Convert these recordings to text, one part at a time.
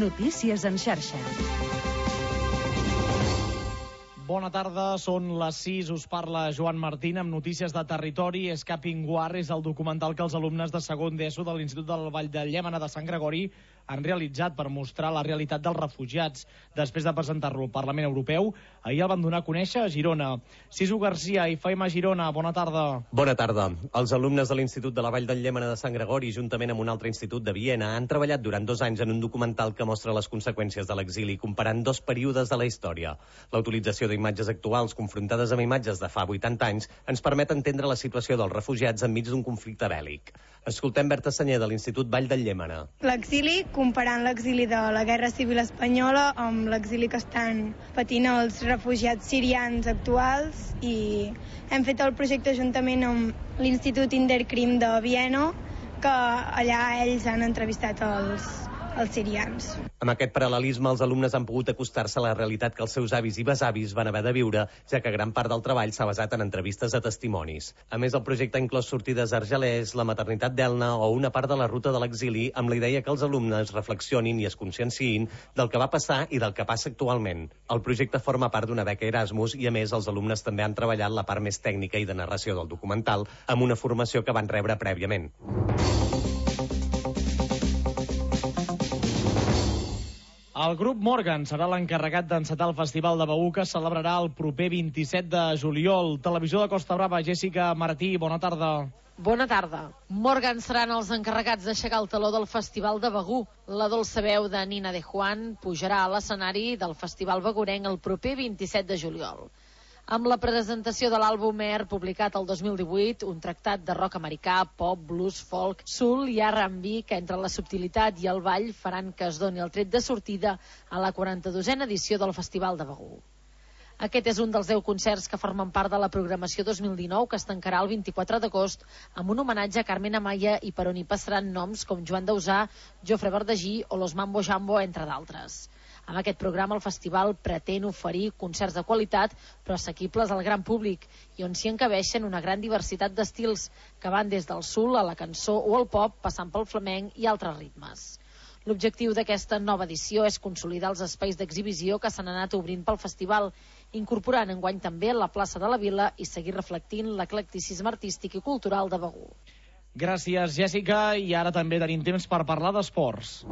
Notícies en xarxa. Bona tarda, són les 6, us parla Joan Martín amb notícies de territori. Escaping War és el documental que els alumnes de segon d'ESO de l'Institut del Vall de Llémena de Sant Gregori han realitzat per mostrar la realitat dels refugiats. Després de presentar-lo al Parlament Europeu, ahir el van donar a conèixer a Girona. Sisu Garcia i Faima Girona, bona tarda. Bona tarda. Els alumnes de l'Institut de la Vall del Llémena de Sant Gregori, juntament amb un altre institut de Viena, han treballat durant 2 anys en un documental que mostra les conseqüències de l'exili, comparant 2 períodes de la història. La utilització d'imatges actuals confrontades amb imatges de fa 80 anys ens permet entendre la situació dels refugiats enmig d'un conflicte bèl·lic. Escoltem Berta Senyer, de l'Institut Vall del Llémena. L'exili, comparant l'exili de la Guerra Civil Espanyola amb l'exili que estan patint els refugiats sirians actuals, i hem fet el projecte juntament amb l'Institut Interkrim de Viena, que allà ells han entrevistat els sirians. Amb aquest paral·lelisme, els alumnes han pogut acostar-se a la realitat que els seus avis i besavis van haver de viure, ja que gran part del treball s'ha basat en entrevistes a testimonis. A més, el projecte ha inclòs sortides a Argelers, la maternitat d'Elna o una part de la ruta de l'exili, amb la idea que els alumnes reflexionin i es conscienciïn del que va passar i del que passa actualment. El projecte forma part d'una beca Erasmus i, a més, els alumnes també han treballat la part més tècnica i de narració del documental amb una formació que van rebre prèviament. El grup Morgan serà l'encarregat d'encetar el Festival de Begur, que es celebrarà el proper 27 de juliol. Televisió de Costa Brava, Jessica Martí, bona tarda. Bona tarda. Morgan seran els encarregats d'aixecar el taló del Festival de Begur. La dolça veu de Nina de Juan pujarà a l'escenari del Festival begurenc el proper 27 de juliol. Amb la presentació de l'àlbum Air, publicat el 2018, un tractat de rock americà, pop, blues, folk, soul i R&B, que entre la subtilitat i el ball faran que es doni el tret de sortida a la 42a edició del Festival de Begur. Aquest és un dels 10 concerts que formen part de la programació 2019, que es tancarà el 24 d'agost amb un homenatge a Carmen Amaya i per on hi passaran noms com Joan Dausà, Jofre Verdagí o Los Mambo Jambo, entre d'altres. Amb aquest programa el festival pretén oferir concerts de qualitat però assequibles al gran públic i on s'hi encabeixen una gran diversitat d'estils que van des del soul a la cançó o el pop, passant pel flamenc i altres ritmes. L'objectiu d'aquesta nova edició és consolidar els espais d'exhibició que s'han anat obrint pel festival, incorporant enguany també la plaça de la Vila i seguir reflectint l'eclecticisme artístic i cultural de Begur. Gràcies, Jessica, i ara també tenim temps per parlar d'esports.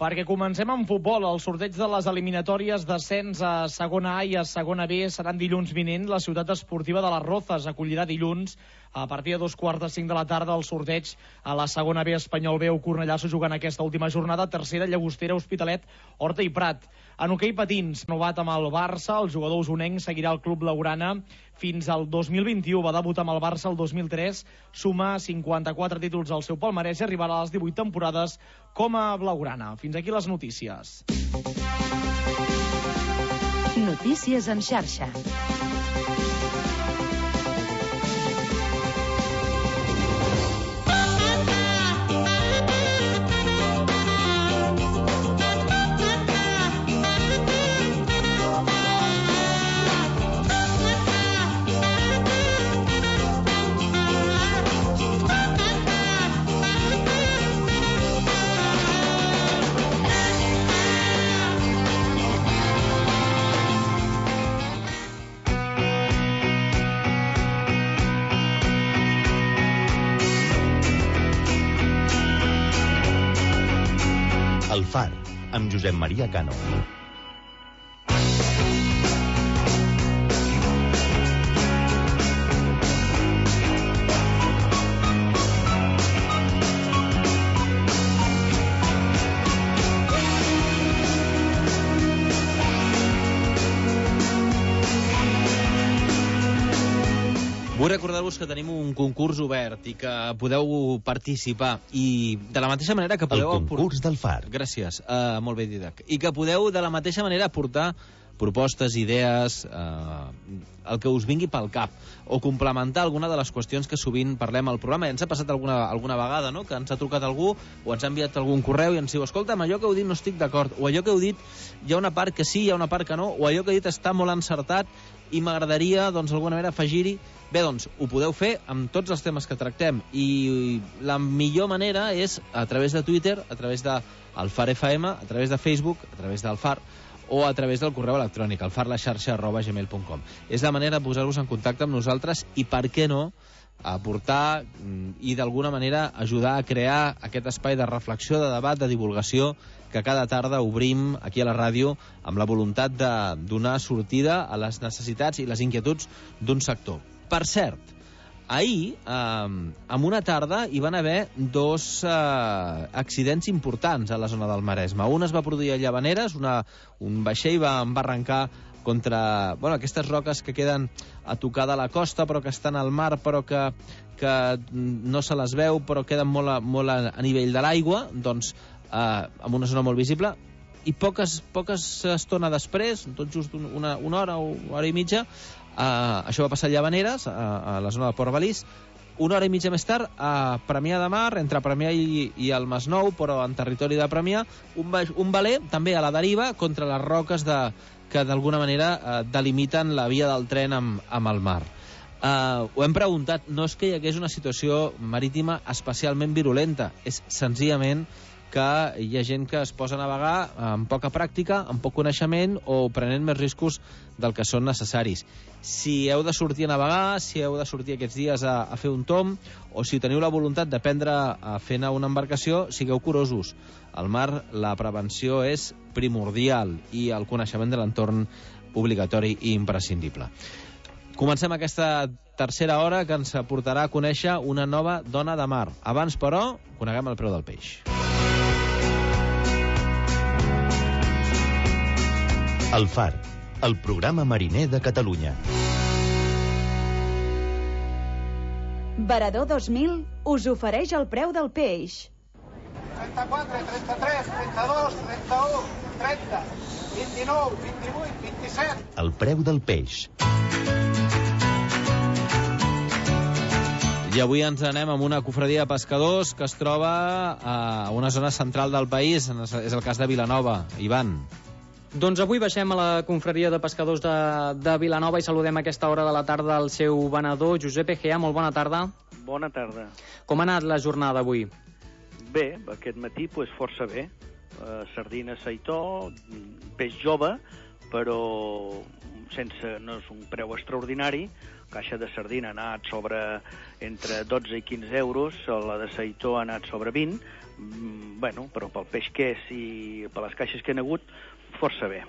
Perquè comencem amb futbol. El sorteig de les eliminatòries d'ascens a segona A i a segona B seran dilluns vinent. La ciutat esportiva de les Rozas acollirà dilluns a partir de 2:45 de la tarda el sorteig a la segona B. Espanyol B o Cornellà s'ho jugant aquesta última jornada. Tercera, Llagostera, Hospitalet, Horta i Prat. En hoquei patins, renovat amb el Barça, el jugador usonenc seguirà el club Laurana fins al 2021. Va debutar amb el Barça el 2003, suma 54 títols al seu palmarès i arribarà a les 18 temporades com a blaugrana. Fins aquí les notícies. Notícies en xarxa. El Far, amb Josep Maria Cano. Vull recordar-vos que tenim un concurs obert i que podeu participar i de la mateixa manera que podeu... El concurs del Far. Gràcies, molt bé, Didac. I que podeu de la mateixa manera aportar propostes, idees, el que us vingui pel cap, o complementar alguna de les qüestions que sovint parlem al programa. Ja ens ha passat alguna vegada, no?, que ens ha trucat algú o ens ha enviat algun correu i ens diu, escolta, amb allò que heu dit no estic d'acord, o allò que heu dit hi ha una part que sí, hi ha una part que no, o allò que heu dit està molt encertat i m'agradaria, doncs, d'alguna manera afegir-hi. Bé, doncs, ho podeu fer amb tots els temes que tractem, i la millor manera és a través de Twitter, a través del Far FM, a través de Facebook, a través del Far, o a través del correu electrònic, alfarlaxarxa@gmail.com. És la manera de posar-vos en contacte amb nosaltres i, per què no, aportar i d'alguna manera ajudar a crear aquest espai de reflexió, de debat, de divulgació que cada tarda obrim aquí a la ràdio amb la voluntat de donar sortida a les necessitats i les inquietuds d'un sector. Per cert, ahir, en una tarda, hi van haver dos accidents importants a la zona del Maresme. Un es va produir a Llavaneres, un vaixell va arrencar contra aquestes roques que queden a tocar de la costa, però que estan al mar, però que no se les veu, però queden molt a nivell de l'aigua, doncs, en una zona molt visible, i poques estona després, tot just una hora o hora i mitja, això va passar a Llavaneres, a la zona de Port Balís. Una hora i mitja més tard, a Premià de Mar, entre Premià i el Masnou, però en territori de Premià, un veler, també a la deriva, contra les roques que d'alguna manera delimiten la via del tren amb el mar. Ho hem preguntat, no és que hi hagués una situació marítima especialment virulenta, és senzillament que hi ha gent que es posa a navegar amb poca pràctica, amb poc coneixement o prenent més riscos del que són necessaris. Si heu de sortir a navegar, si heu de sortir aquests dies a fer un tomb, o si teniu la voluntat d'aprendre a fer anar una embarcació, sigueu curosos. Al mar la prevenció és primordial i el coneixement de l'entorn obligatori i imprescindible. Comencem aquesta tercera hora que ens portarà a conèixer una nova dona de mar. Abans, però, coneguem el preu del peix. El Far, el programa mariner de Catalunya. Varador 2000 us ofereix el preu del peix. 34, 33, 32, 31, 30, 29, 28, 27... El preu del peix. I avui ens anem amb una cofradia de pescadors que es troba a una zona central del país, és el cas de Vilanova. Ivan. Doncs avui baixem a la confraria de pescadors de Vilanova i saludem a aquesta hora de la tarda el seu venedor, Josep Egea. Molt bona tarda. Bona tarda. Com ha anat la jornada avui? Bé, aquest matí força bé. Sardina seitó, peix jove, però no és un preu extraordinari. Caixa de sardina ha anat sobre entre 12 i 15 euros, la de seitó ha anat sobre 20, però pel peix que és i per les caixes que han hagut, força bé.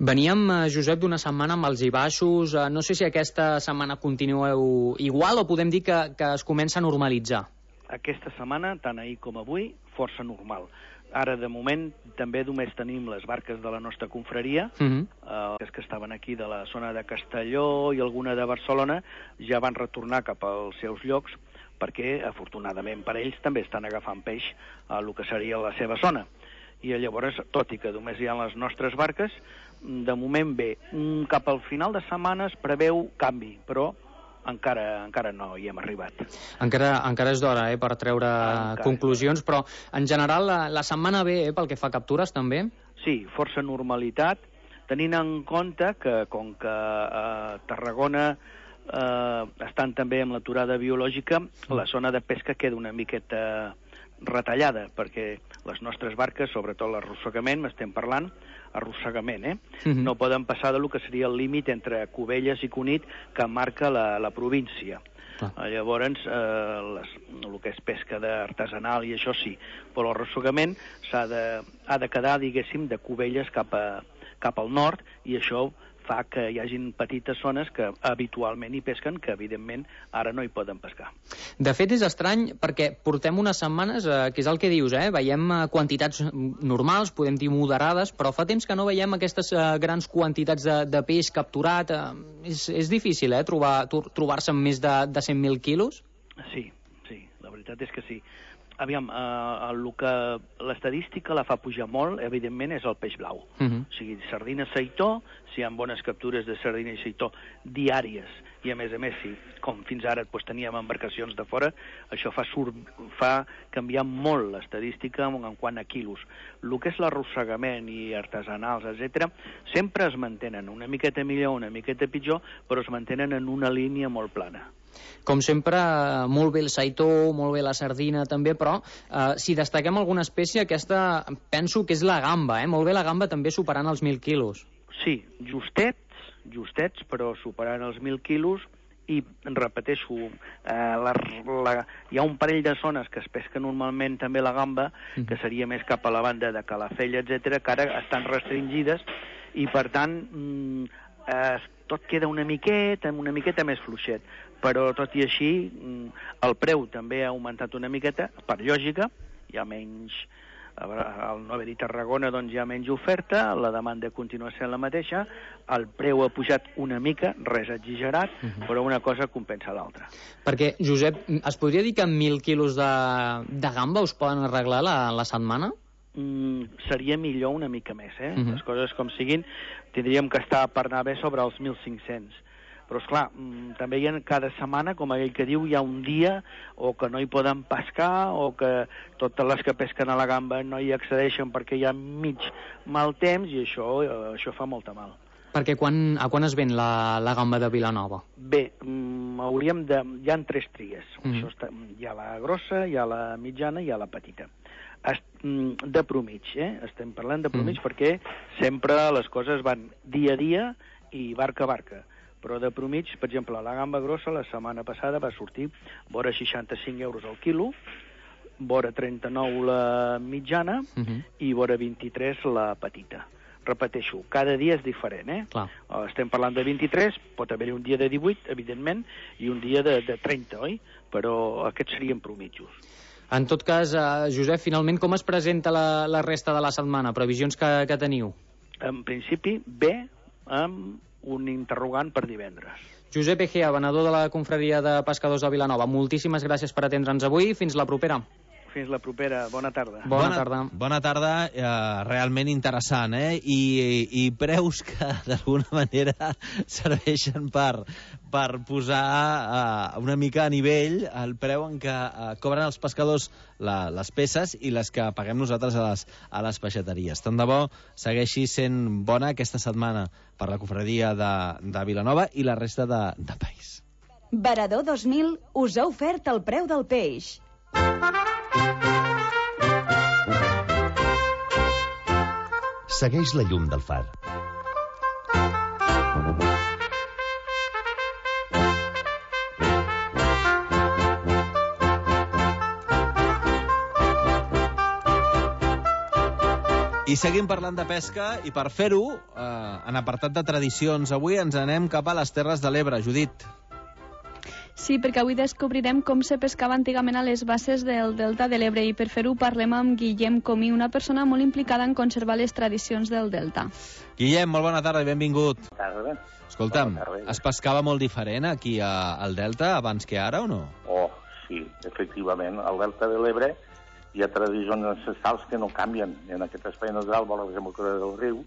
Veníem, Josep, d'una setmana amb els i baixos. No sé si aquesta setmana continueu igual o podem dir que es comença a normalitzar. Aquesta setmana, tant ahir com avui, força normal. Ara, de moment, també només tenim les barques de la nostra confraria, les que estaven aquí de la zona de Castelló i alguna de Barcelona, ja van retornar cap als seus llocs, perquè, afortunadament per ells, també estan agafant peix a el que seria la seva zona. I llavors, tot i que només hi ha les nostres barques, de moment bé. Cap al final de setmana es preveu canvi, però encara no hi hem arribat. Encara és d'hora per treure conclusions, però en general la setmana bé pel que fa a captures també? Sí, força normalitat, tenint en compte que com que a Tarragona estan també amb l'aturada biològica, la zona de pesca queda una miqueta retallada, perquè les nostres barques, sobretot l'arrossegament, m'estem parlant, arrossegament, no poden passar de lo que seria el límit entre Cubelles i Cunit que marca la província. Llavors, el que és pesca artesanal i això sí, però l'arrossegament ha de quedar, diguéssim, de Cubelles cap al nord, i això fa que hi hagin petites zones que habitualment hi pesquen, que evidentment ara no hi poden pescar. De fet, és estrany perquè portem unes setmanes, que és el que dius, veiem quantitats normals, podem dir moderades, però fa temps que no veiem aquestes grans quantitats de peix capturat. És difícil, trobar-se amb més de 100.000 quilos? Sí, la veritat és que sí. Aviam, l'estadística la fa pujar molt, evidentment, és el peix blau. O sigui, sardina seitó, si hi ha bones captures de sardina i seitó diàries, i a més, si com fins ara teníem embarcacions de fora, això fa canviar molt l'estadística en quant a quilos. El que és l'arrossegament i artesanals, etc., sempre es mantenen una miqueta millor, una miqueta pitjor, però es mantenen en una línia molt plana. Com sempre, molt bé el seitó, molt bé la sardina també, però si destaquem alguna espècie, aquesta penso que és la gamba, molt bé la gamba també superant els 1.000 quilos. Sí, justets, però superant els 1.000 quilos, i repeteixo, hi ha un parell de zones que es pesca normalment també la gamba, que seria més cap a la banda de Calafell, etc., que ara estan restringides, i per tant tot queda una miqueta més fluixet, però tot i així el preu també ha augmentat una miqueta, per lògica, hi ha menys, al no haver-hi Tarragona doncs hi ha menys oferta, la demanda continua sent la mateixa, el preu ha pujat una mica, res exagerat, però una cosa compensa l'altra. Perquè, Josep, es podria dir que amb 1.000 quilos de gamba us poden arreglar la setmana? Seria millor una mica més, les coses com siguin, tindríem que estar per anar bé sobre els 1.500. Però, esclar, també hi ha cada setmana, com aquell que diu, hi ha un dia o que no hi poden pescar o que totes les que pesquen a la gamba no hi accedeixen perquè hi ha mig mal temps i això fa molta mal. Perquè a quan es ven la gamba de Vilanova? Bé, hi ha 3 tries. Hi ha la grossa, hi ha la mitjana i hi ha la petita. De promig, estem parlant de promig perquè sempre les coses van dia a dia i barca a barca. Però de promig, per exemple, la gamba grossa la setmana passada va sortir vora 65 euros al quilo, vora 39 la mitjana i vora 23 la petita. Repeteixo, cada dia és diferent, Clar. Estem parlant de 23, pot haver-hi un dia de 18, evidentment, i un dia de 30, oi? Però aquests serien promitjos. En tot cas, Josep, finalment com es presenta la resta de la setmana? Previsions que teniu? En principi, bé, amb un interrogant per divendres. Josep Egea, venedor de la Confraria de Pescadors de Vilanova, moltíssimes gràcies per atendre'ns avui. Fins la propera. Fins la propera. Bona tarda. Bona tarda, realment interessant, I preus que d'alguna manera serveixen per posar una mica a nivell el preu en què cobren els pescadors les peces i les que paguem nosaltres a les peixateries. Tant de bo segueixi sent bona aquesta setmana per la Confraria de Vilanova i la resta de país. Varador 2000 us ha ofert el preu del peix. Segueix la llum del far. I seguim parlant de pesca i per fer-ho, en apartat de tradicions, avui ens anem cap a les Terres de l'Ebre. Judit. Sí, perquè avui descobrirem com se pescava antigament a les basses del Delta de l'Ebre i per fer-ho parlem amb Guillem Comí, una persona molt implicada en conservar les tradicions del Delta. Guillem, molt bona tarda i benvingut. Bona tarda. Escolta'm, es pescava molt diferent aquí al Delta abans que ara o no? Oh, sí, efectivament. Al Delta de l'Ebre hi ha tradicions ancestrals que no canvien. En aquest espai natural, vora la desembocadura del riu,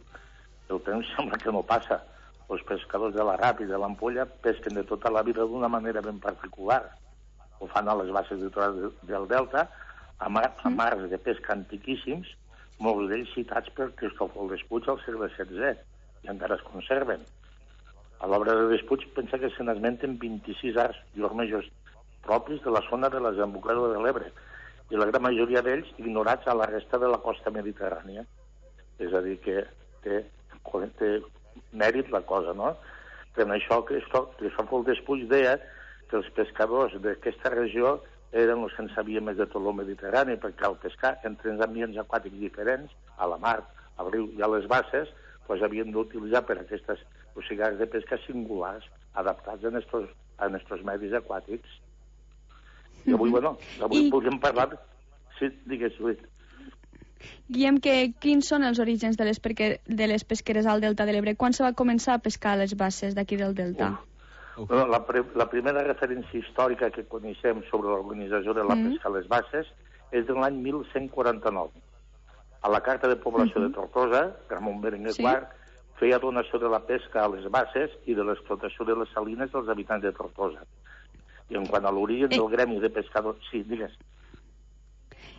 el temps sembla que no passa. Els pescadors de la Rap i de l'Ampolla pesquen de tota la vida d'una manera ben particular. Ho fan a les basses litorals del Delta, a mars de pesca antiquíssims, molts d'ells citats per Cristòfol Despuig al segle XVI, i encara es conserven. A l'obra de Despuig pensa que se n'esmenten 26 arts i ormejos propis de la zona de la desembocadura de l'Ebre, i la gran majoria d'ells ignorats a la resta de la costa mediterrània. És a dir, que té mèrit la cosa, no? Per això Cristòfol Despuig deia que els pescadors d'aquesta regió eren els que en sabien més de tot el Mediterrani, perquè al pescar entre els ambients aquàtics diferents, a la mar, al riu i a les basses, doncs havien d'utilitzar per aquestes possibilitats de pesca singulars, adaptats a nostres medis aquàtics. I avui, avui podríem parlar... Sí, digues, Lluís. Guillem, quins són els orígens de les pesqueres al Delta de l'Ebre? Quan se va començar a pescar a les basses d'aquí del Delta? La primera referència històrica que coneixem sobre l'organització de la pesca a les basses és de l'any 1149. A la Carta de Població de Tortosa, Ramon Berenguer IV feia donació de la pesca a les basses i de l'explotació de les salines dels habitants de Tortosa. I en quant a l'origen del gremi de pescadors... Sí, digues.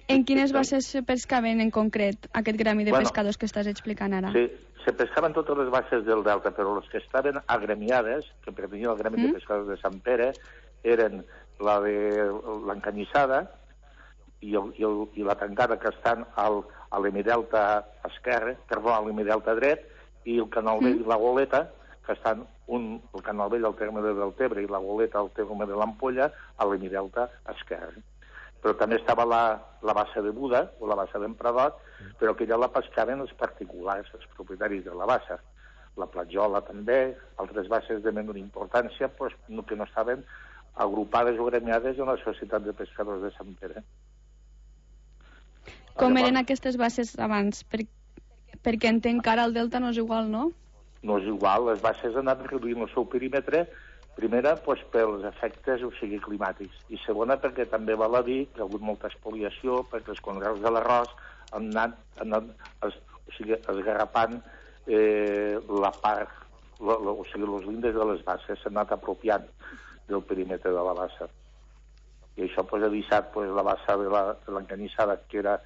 En quines basses se pescaven en concret aquest gremi de pescadors que estàs explicant ara? Sí, se pescaven totes les basses del Delta, però les que estaven agremiades, que pertanyien al gremi de pescadors de Sant Pere, eren la de l'Encanyissada i la tancada que estan a l'hemidelta esquerre, perdó, a l'hemidelta dret, i el Canal Vell i la Goleta, que estan el Canal Vell al terme de Deltebre i la Goleta al terme de l'Ampolla, a l'hemidelta esquerre. Però també estava la bassa de Buda, o la bassa d'Emprador, però que ja la pescaven els particulars, els propietaris de la bassa. La Platjola també, altres basses de menor importància, que no estaven agrupades o gremiades en la Societat de Pescadors de Sant Pere. Com eren aquestes basses abans? Perquè entenc que ara el Delta no és igual, no? No és igual, les basses han anat reduint el seu perímetre, primera, pels efectes, climàtics, i segona, perquè també val a dir que hi ha hagut molta expoliació, perquè els conreus de l'arròs han anat esgarrapant la part, els lindes de les basses s'han anat apropiant del perímetre de la bassa. I això ha deixat la bassa de l'Encanyissada, que era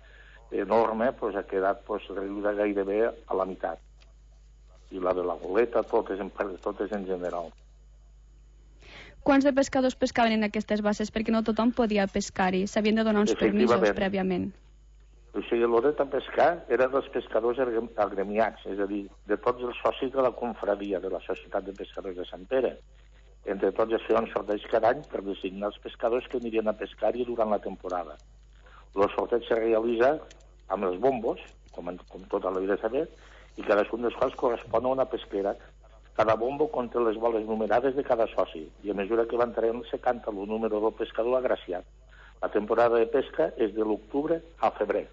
enorme, ha quedat reduïda gairebé a la meitat. I la de la Goleta, totes en general. Quants de pescadors pescaven en aquestes basses? Perquè no tothom podia pescar-hi, s'havien de donar uns permisos prèviament. O sigui, el dret a pescar era dels pescadors agremiats, és a dir, de tots els socis de la confraria de la Societat de Pescadors de Sant Pere. Entre tots es feia un sorteig cada any per designar els pescadors que anirien a pescar-hi durant la temporada. El sorteig se realitza amb els bombos, com tota la vida saber, i cadascun dels quals correspon a una pesquera. Cada bombo conté les boles numerades de cada soci, i a mesura que van traient se canta el número del pescador agraciat. La temporada de pesca és de l'octubre a febrer,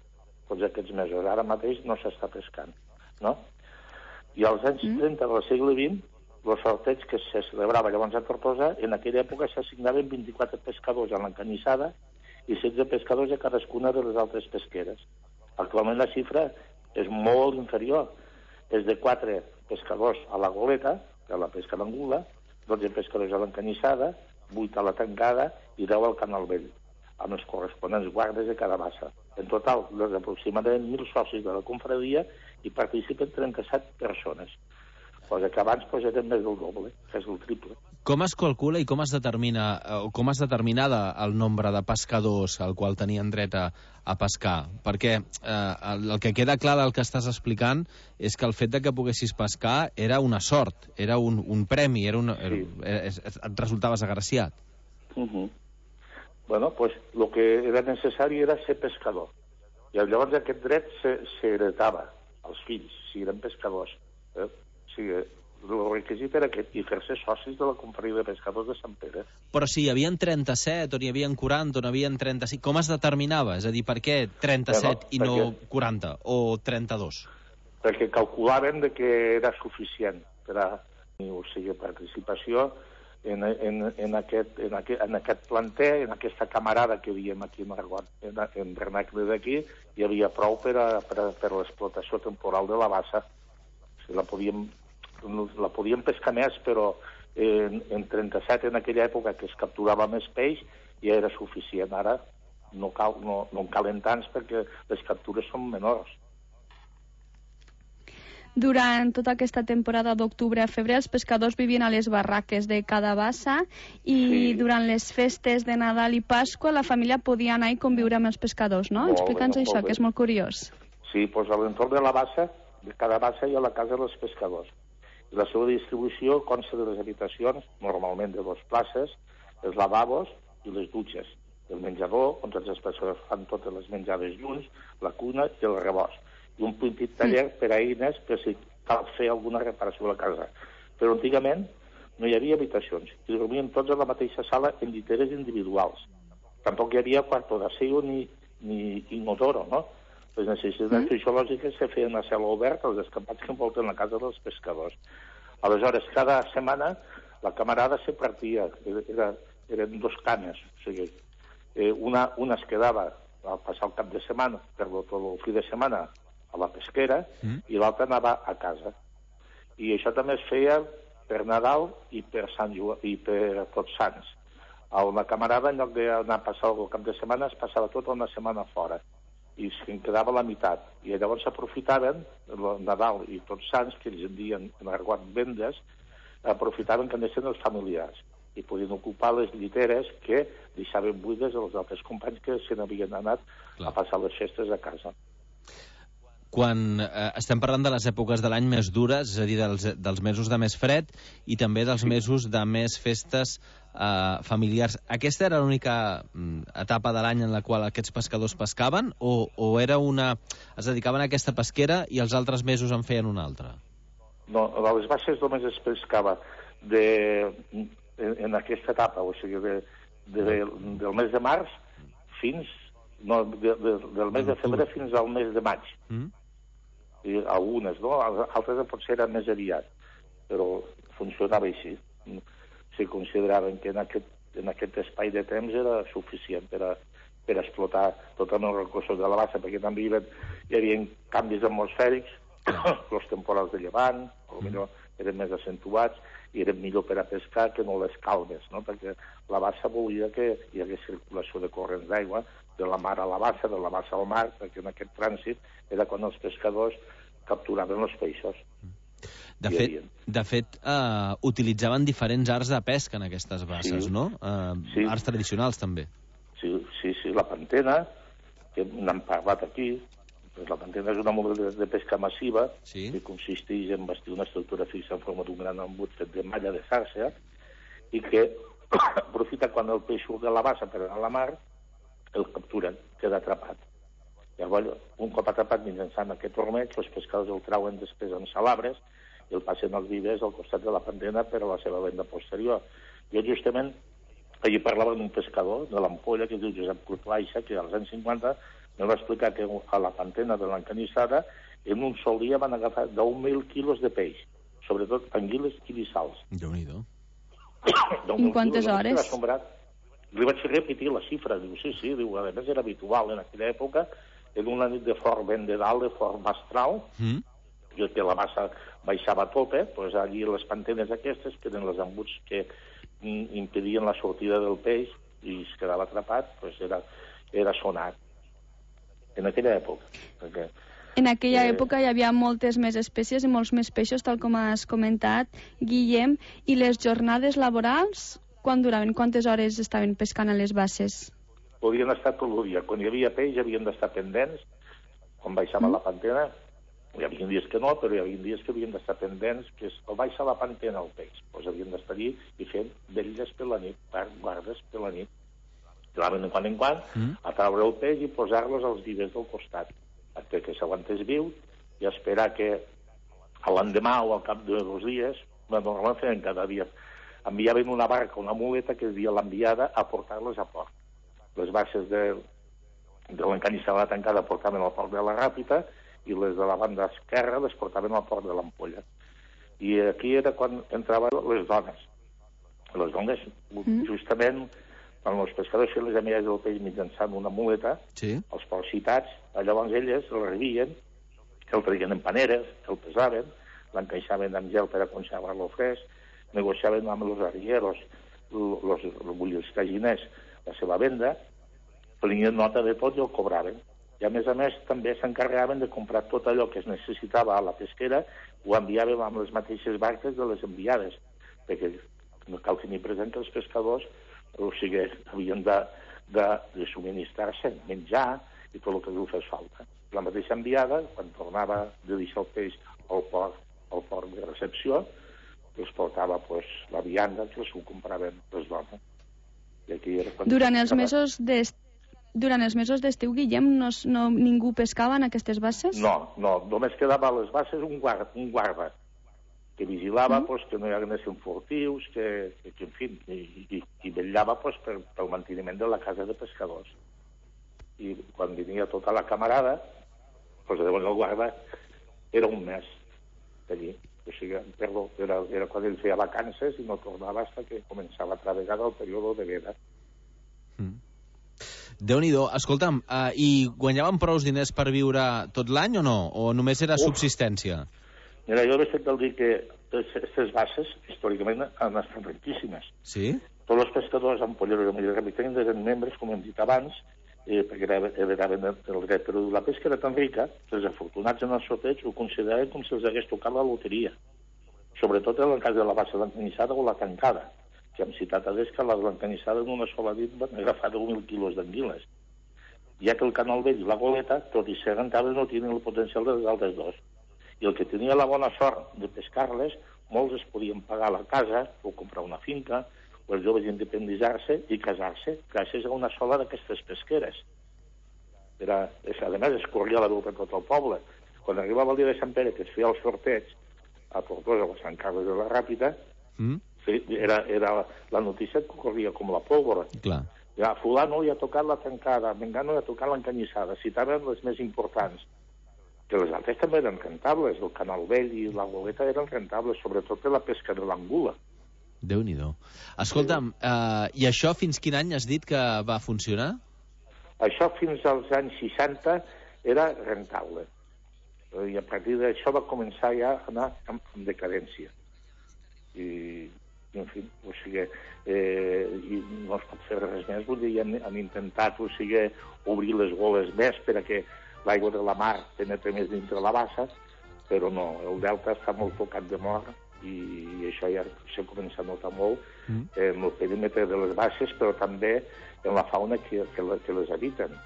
tots aquests mesos. Ara mateix no s'està pescant, no? I als anys 30 del segle XX, el sorteig que se celebrava llavors a Tortosa, en aquella època s'assignaven 24 pescadors a l'Encanyissada i 16 pescadors a cadascuna de les altres pesqueres. Actualment la xifra és molt inferior. És de 4 pescadors a la Goleta, que és la pesca d'angula, 12 pescadors a l'Encanyissada, 8 a la tancada i 10 al Canal Vell, amb els corresponents guardes de cada bassa. En total, des d'aproximadament 1.000 socis de la confraria hi participen 37 persones. Cosa que abans eren més del doble, que és el triple. Com es calcula i com es determinava el nombre de pescadors al qual tenien dret a pescar? Perquè el que queda clar del que estàs explicant és que el fet de que poguessis pescar era una sort, era un premi, et resultaves agraciat. Bueno, pues el que era necessari era ser pescador. I llavors aquest dret s'heretava als fills, si eren pescadors. O sigui, el requisit era aquest, i fer-se socis de la confraria de pescadors de Sant Pere. Però si hi havia 37, o n'hi havia 40, o n'hi havia 35, com es determinava? És a dir, per què 37 i no 40, o 32? Perquè calculaven que era suficient per a participació en aquest planter, en aquesta camarada que diem aquí en Argot, en vernacle d'aquí, hi havia prou per l'explotació temporal de la bassa. La podíem pescar més, però en 37, en aquella època que es capturava més peix, ja era suficient. Ara no en calen tants perquè les captures són menors. Durant tota aquesta temporada d'octubre a febrer, els pescadors vivien a les barraques de cada bassa i durant les festes de Nadal i Pasqua la família podia anar i conviure amb els pescadors, no? Explica'ns això, que és molt curiós. Sí, doncs a l'entorn de la bassa, de cada bassa hi ha la casa dels pescadors. La seva distribució consta de les habitacions, normalment de 2 places, els lavabos i les dutxes, el menjador, on tots els pescadors fan totes les menjades junts, la cuna i el rebost, i un petit taller per a eines per si cal fer alguna reparació a la casa. Però antigament no hi havia habitacions, i dormien tots a la mateixa sala en lliteres individuals. Tampoc hi havia quarto d'aseo ni inodoro, no? Les necessitats fisiològiques se feien a cel obert als escampats que envolten la casa dels pescadors. Aleshores, cada setmana la camarada se partia, eren 2 cames, o sigui, una es quedava a passar el cap de setmana, tot el fi de setmana a la pesquera, i l'altre anava a casa. I això també es feia per Nadal i per Tots Sants. A una camarada, en lloc d'anar a passar el cap de setmana, es passava tota una setmana fora, i se'n quedava la meitat. I llavors s'aprofitaven, Nadal i Tots Sants, que ells en diuen en argot vendes, aprofitaven que anessin els familiars i podien ocupar les lliteres que deixaven buides als altres companys que se n'havien anat a passar les festes a casa. Quan estem parlant de les èpoques de l'any més dures, és a dir, dels mesos de més fred i també dels mesos de més festes familiars, aquesta era l'única etapa de l'any en la qual aquests pescadors pescaven o era es dedicaven a aquesta pesquera i els altres mesos en feien una altra? No, a les basses només es pescava en aquesta etapa, o sigui, del mes de març fins... No, del mes de febrer fins al mes de maig. I algunes, no? Altres potser eren més aviat, però funcionava així. Se consideraven que en aquest espai de temps era suficient per explotar tots els recursos de la bassa, perquè també hi havia canvis atmosfèrics, els temporals de llevant, potser eren més accentuats, i eren millor per a pescar que no les calmes, no? Perquè la bassa volia que hi hagués circulació de corrents d'aigua de la mar a la bassa, de la bassa al mar, perquè en aquest trànsit era quan els pescadors capturaven els peixos. De fet, utilitzaven diferents arts de pesca en aquestes basses, no? Arts tradicionals, també. Sí, la pantena, que n'hem parlat aquí. La pantena és una modalitat de pesca massiva que consisteix en bastir una estructura fixa en forma d'un gran embut fet de malla de xarxa i que aprofita quan el peix surt de la bassa per anar a la mar, el capturen, queda atrapat. Llavors, un cop atrapat mitjançant aquest ormeig, els pescadors el trauen després amb salabres i el passen als vivers al costat de la pantena per a la seva venda posterior. Jo justament, allí parlava d'un pescador de l'Ampolla, que es diu Josep Curtlaixa, que als anys 50 me va explicar que a la pantena de l'Encanissada en un sol dia van agafar 10.000 quilos de peix, sobretot anguiles i dissals. Déu-n'hi-do. En quantes hores? Li vaig repetir la xifra, diu, sí, diu, a més era habitual en aquella època, en una nit de fort vent de dalt, de fort mestral, que la massa baixava a tope, doncs allí les pantenes aquestes, que eren els embuts que impedien la sortida del peix i es quedava atrapat, doncs era sonat. En aquella època. En aquella època hi havia moltes més espècies i molts més peixos, tal com has comentat, Guillem. I les jornades laborals, quan duraven? Quantes hores estaven pescant a les basses? Podien estar tot el dia. Quan hi havia peix havien d'estar pendents, quan baixava la pantena. Hi havia dies que no, però hi havia dies que havien d'estar pendents, que el baixa la pantena el peix. Doncs havien d'estar allí i fent vetlles per la nit, guardes per la nit. Claven de quan en quan, a traure el peix i posar-los als vivers del costat, perquè s'aguantés viu i esperar que a l'endemà o al cap de 2 dies, normalment feien cada dia, enviaven una barca, una muleta que es dia l'enviada a portar-les a port. Les basses de l'Encanissada tancada portaven al port de la Ràpita i les de la banda esquerra les portaven al port de l'Ampolla. I aquí era quan entraven les dones. Les dones, justament, quan els pescadors feien les amigues del peix mitjançant una muleta, els ports citats, llavors elles el rebien, el traien en paneres, el pesaven, l'encaixaven amb gel per a conservar-lo fresc, negociaven amb els arrieros, els caginers, la seva venda, prenien nota de tot i el cobraven. I a més també s'encarregaven de comprar tot allò que es necessitava a la pesquera, ho enviàvem amb les mateixes barques de les enviades, perquè cal tenir present que els pescadors havien de subministrar-se menjar i tot el que els fes falta. La mateixa enviada, quan tornava de deixar el peix al port de recepció, els portava la vianda que els ho compraven les dones. Durant els mesos d'estiu, Guillem, ningú pescava en aquestes basses? No, només quedava a les basses un guarda que vigilava que no hi haguessin furtius, que en fi, i vetllava pel manteniment de la casa de pescadors. I quan venia tota la camarada, llavors el guarda era un mes d'allí. O sigui, era quan ell feia vacances i no tornava fins que començava a altra vegada el període de veda. Déu-n'hi-do. Escolta'm, i guanyaven prou diners per viure tot l'any o no? O només era subsistència? Mira, jo he fet el dir que aquestes basses, històricament, han estat riquíssimes. Sí? Tots els pescadors amb polleros i capitanes eren membres, com hem dit abans, perquè heredaven el dret, però la pesca era tan rica que els afortunats en el sorteig ho consideraven com si els hagués tocat la loteria. Sobretot en el cas de la bassa blancanissada o la tancada, que hem citat a l'Esca, la blancanissada en una sola nit van agafar 10.000 quilos d'anguiles. Ja que el canal vell i la goleta, tot i ser rentables, no tenien el potencial dels altres dos. I el que tenia la bona sort de pescar-les, molts es podien pagar la casa o comprar una finca, o els joves independitzar-se i casar-se gràcies a una sola d'aquestes pesqueres. A més, es corria la veu per tot el poble. Quan arribava el dia de Sant Pere, que es feia el sorteig a Tortosa o a Sant Carles de la Ràpita, era la notícia que corria com la pólvora. Clar. Ja, fulano li ha tocat la tancada, Mengano li ha tocat l'encanyissada, citaven les més importants. Que les altres també eren rentables, el Canal Vell i la Goleta eren rentables, sobretot per la pesca de l'angula. Déu-n'hi-do. Escolta'm, i això fins quin any has dit que va funcionar? Això fins als anys 60 era rentable. I a partir d'això va començar ja a anar en decadència. I en fi, o sigui, i no es pot fer res més, vull dir, han intentat, o sigui, obrir les goles més perquè l'aigua de la mar penetra més dintre la bassa, però no, el delta està molt tocat de mort i això ja s'ha començat a notar molt en el perímetre de les basses, però també en la fauna que les habiten,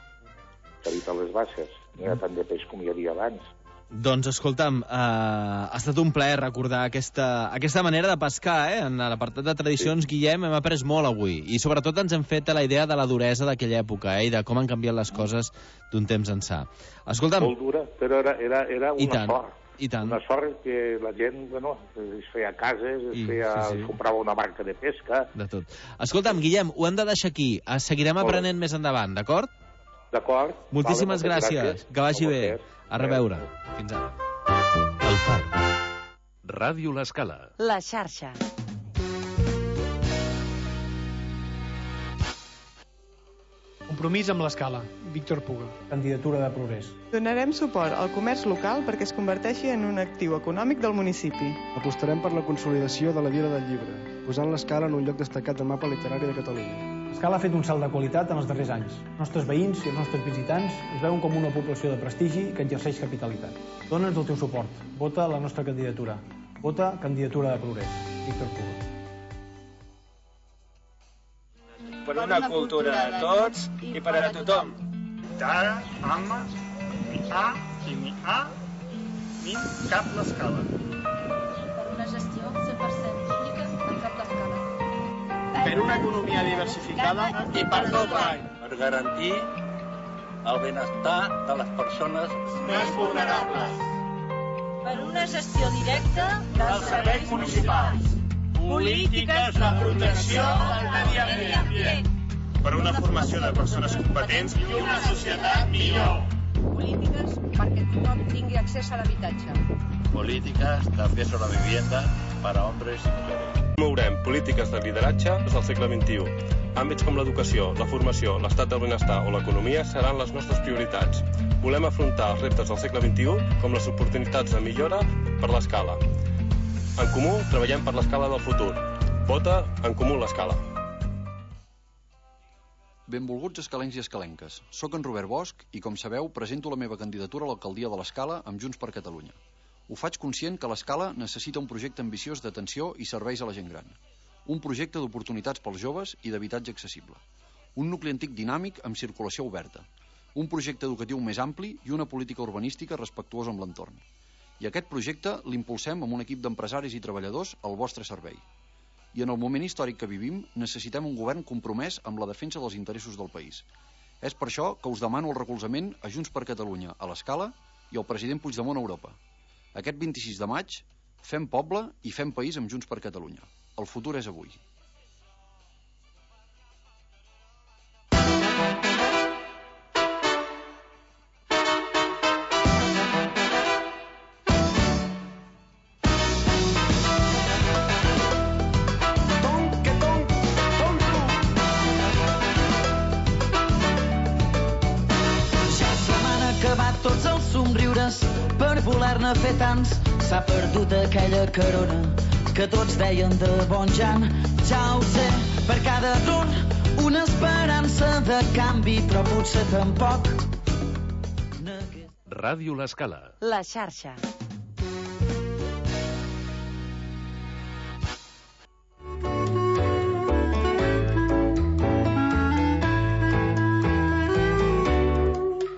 que habiten les basses. No hi ha tant de peix com hi havia abans. Doncs, escolta'm, ha estat un plaer recordar aquesta manera de pescar, En l'apartat de tradicions, Guillem, hem après molt avui. I sobretot ens hem fet la idea de la duresa d'aquella època, I de com han canviat les coses d'un temps ençà. Escolta'm... Molt dura, però era una sort. I tant. Una sort que la gent, bueno, es feia cases, comprava una barca de pesca... De tot. Escolta'm, Guillem, ho hem de deixar aquí. Seguirem aprenent més endavant, d'acord? D'acord. Moltíssimes gràcies. Que vagi bé. A reveure. Fins ara. El Far. Ràdio L'Escala. La xarxa. Compromís amb l'Escala. Víctor Puga. Candidatura de progrés. Donarem suport al comerç local perquè es converteixi en un actiu econòmic del municipi. Apostarem per la consolidació de la Vila del Llibre, posant l'Escala en un lloc destacat del mapa literari de Catalunya. L'Escala ha fet un salt de qualitat en els darrers anys. Els nostres veïns i els nostres visitants ens veuen com una població de prestigi que exerceix capitalitat. Dóna'ns el teu suport. Vota la nostra candidatura. Vota Candidatura de Progrés. Víctor Puga. Per una cultura de tots i per a tothom. D'ara, amma, ni A i ni A, ni cap l'Escala. Per una gestió 100% pública en cap l'Escala. Per una economia diversificada i per tot l'any. Per garantir el benestar de les persones més vulnerables. Per una gestió directa dels serveis municipals. Polítiques de protecció del medi ambient. Per una formació de persones competents i una societat millor. Polítiques perquè tothom tingui accés a l'habitatge. Políticas de acceso a la vivienda para hombres y mujeres. Promourem polítiques de lideratge del segle XXI. Àmbits com l'educació, la formació, l'estat del benestar o l'economia seran les nostres prioritats. Volem afrontar els reptes del segle XXI com les oportunitats de millora per l'Escala. En Comú treballem per l'Escala del futur. Vota En Comú l'Escala. Benvolguts escalencs i escalenques. Soc en Robert Bosch i, com sabeu, presento la meva candidatura a l'alcaldia de l'Escala amb Junts per Catalunya. Ho faig conscient que l'Escala necessita un projecte ambiciós d'atenció i serveis a la gent gran. Un projecte d'oportunitats pels joves i d'habitatge accessible. Un nucli antic dinàmic amb circulació oberta. Un projecte educatiu més ampli i una política urbanística respectuosa amb l'entorn. I aquest projecte l'impulsem amb un equip d'empresaris i treballadors al vostre servei. I en el moment històric que vivim necessitem un govern compromès amb la defensa dels interessos del país. És per això que us demano el recolzament a Junts per Catalunya a l'Escala i al president Puigdemont a Europa. Aquest 26 de maig fem poble i fem país amb Junts per Catalunya. El futur és avui. voler-ne fer tants s'ha perdut aquella carona que tots deien de bon Jan. Ja ho sé, per cada error una esperança de canvi, però potser tampoc. Ràdio L'Escala. La xarxa.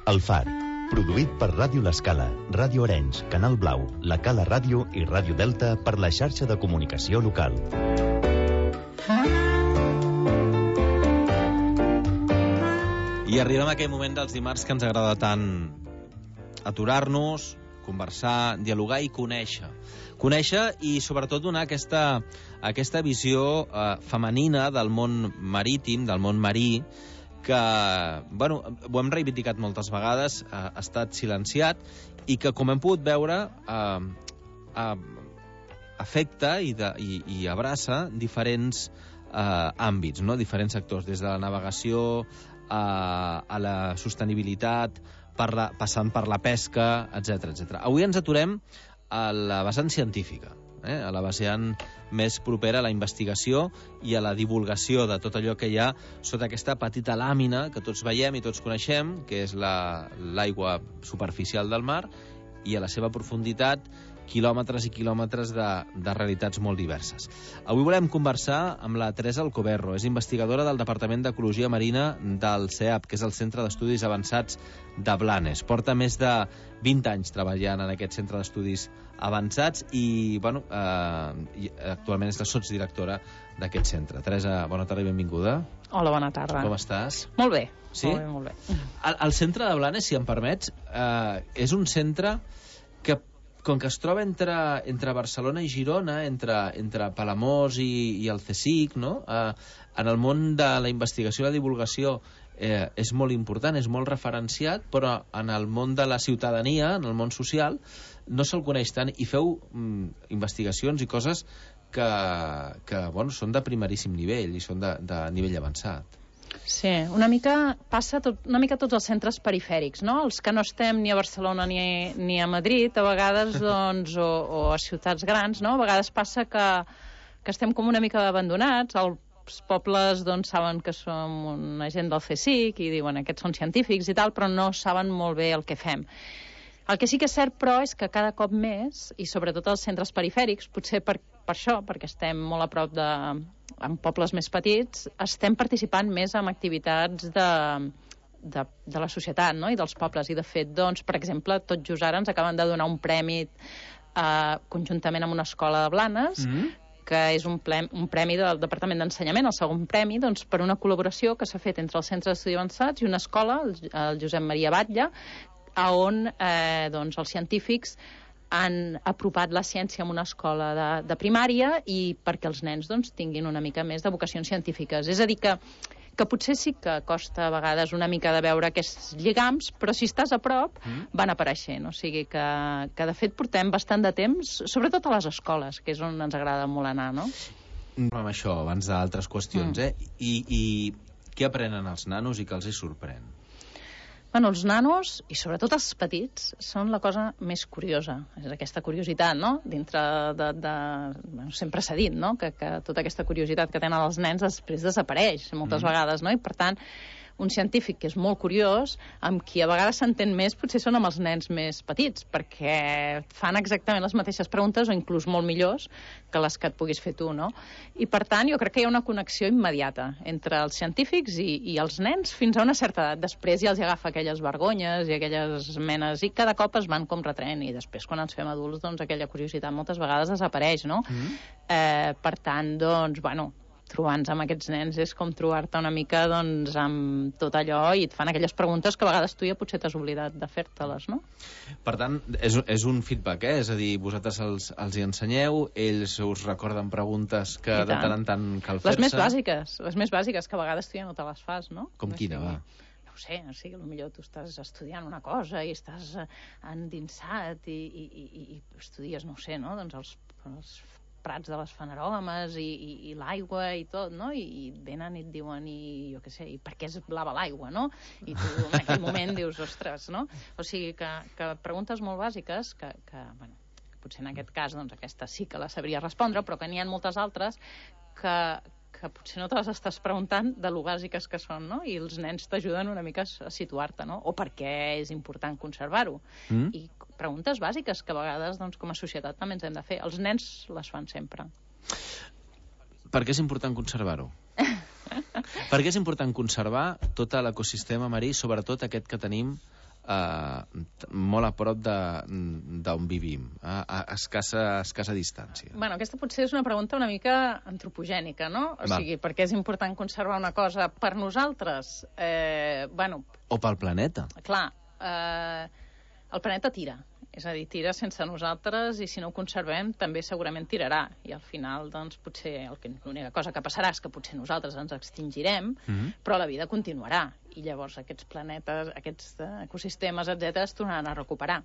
El Far, produït per Ràdio L'Escala, Ràdio Arenys, Canal Blau, La Cala Ràdio i Ràdio Delta per la xarxa de comunicació local. I arribem a aquell moment dels dimarts que ens agrada tant aturar-nos, conversar, dialogar i conèixer. Conèixer i sobretot donar aquesta visió femenina del món marítim, del món marí, que, bueno, ho hem reivindicat moltes vegades, ha estat silenciat i que, com hem pogut veure, afecta i abraça diferents àmbits, no? Diferents sectors, des de la navegació a la sostenibilitat, passant per la pesca, etc. Avui ens aturem a la vessant científica, a la vessant més propera a la investigació i a la divulgació de tot allò que hi ha sota aquesta petita làmina que tots veiem i tots coneixem, que és l'aigua superficial del mar, i a la seva profunditat quilòmetres i quilòmetres de realitats molt diverses. Avui volem conversar amb la Teresa Alcoberro, és investigadora del Departament d'Ecologia Marina del CEAP, que és el Centre d'Estudis Avançats de Blanes. Porta més de 20 anys treballant en aquest centre d'estudis avançats i, bueno, actualment és la sotsdirectora d'aquest centre. Teresa, bona tarda i benvinguda. Hola, bona tarda. Com estàs? Molt bé. Sí? Molt bé. El centre de Blanes, si em permets, és un centre que, com que es troba entre Barcelona i Girona, entre Palamós i el CSIC, no? En el món de la investigació i la divulgació és molt important, és molt referenciat, però en el món de la ciutadania, en el món social, no se'l coneix tant, i feu investigacions i coses que bueno, són de primeríssim nivell i són de nivell avançat. Sí, una mica passa una mica tots els centres perifèrics, no? Els que no estem ni a Barcelona ni a Madrid, a vegades, doncs, o a ciutats grans, no? A vegades passa que estem com una mica abandonats, els pobles, doncs, saben que som una gent del CSIC i diuen aquests són científics i tal, però no saben molt bé el que fem. El que sí que és cert, però, és que cada cop més, i sobretot als centres perifèrics, potser per això, perquè estem molt a prop en pobles més petits, estem participant més en activitats de la societat, no? I dels pobles. I, de fet, doncs, per exemple, tot just ara ens acaben de donar un premi conjuntament amb una escola de Blanes, que és un premi del Departament d'Ensenyament, el segon premi, doncs, per una col·laboració que s'ha fet entre el Centre d'Estudis Avançats i una escola, el Josep Maria Batlle, on doncs, els científics han apropat la ciència a una escola de primària i perquè els nens doncs, tinguin una mica més de vocacions científiques. És a dir, que potser sí que costa a vegades una mica de veure aquests lligams, però si estàs a prop van apareixent. O sigui que de fet portem bastant de temps, sobretot a les escoles, que és on ens agrada molt anar, no? Amb això, abans d'altres qüestions, I què aprenen els nanos i què els hi sorprèn? Bueno, els nanos, i sobretot els petits, són la cosa més curiosa. És aquesta curiositat, no? Dintre bueno, sempre s'ha dit, no? Que tota aquesta curiositat que tenen els nens després desapareix moltes vegades, no? I, per tant, un científic que és molt curiós, amb qui a vegades s'entén més, potser són amb els nens més petits, perquè fan exactament les mateixes preguntes o inclús molt millors que les que et puguis fer tu, no? I, per tant, jo crec que hi ha una connexió immediata entre els científics i els nens fins a una certa edat. Després ja els agafa aquelles vergonyes i aquelles menes, i cada cop es van com retraient, i després, quan ens fem adults, doncs aquella curiositat moltes vegades desapareix, no? Per tant, doncs, bueno, trobar-nos amb aquests nens és com trobar-te una mica doncs, amb tot allò i et fan aquelles preguntes que a vegades tu ja potser t'has oblidat de fer-te-les, no? Per tant, és un feedback, És a dir, vosaltres els hi ensenyeu, ells us recorden preguntes que de tant en tant cal fer-se. Les més bàsiques, que a vegades tu ja no te les fas, no? Com quina, va? No ho sé, potser tu estàs estudiant una cosa i estàs endinsat i estudies, no ho sé, no? Doncs els prats de les Fanerògames i l'aigua i tot, no? I venen i et diuen, jo què sé, i per què és blava l'aigua, no? I tu en aquell moment dius, ostres, no? O sigui que preguntes molt bàsiques que bueno, potser en aquest cas doncs aquesta sí que la sabria respondre, però que n'hi ha moltes altres que potser no te les estàs preguntant de lo bàsiques que són, no? I els nens t'ajuden una mica a situar-te, no? O per què és important conservar-ho. I preguntes bàsiques que a vegades doncs, com a societat també ens hem de fer. Els nens les fan sempre. Per què és important conservar-ho? Per què és important conservar tot l'ecosistema marí, sobretot aquest que tenim molt a prop d'on vivim, a escassa distància? Bueno, aquesta potser és una pregunta una mica antropogènica, no? O sigui, per què és important conservar una cosa per nosaltres? O pel planeta. Clar, el planeta tira. És a dir, tira sense nosaltres i si no ho conservem també segurament tirarà. I al final, doncs, potser l'única cosa que passarà és que potser nosaltres ens extingirem, però la vida continuarà. I llavors aquests planetes, aquests ecosistemes, etc., es tornaran a recuperar.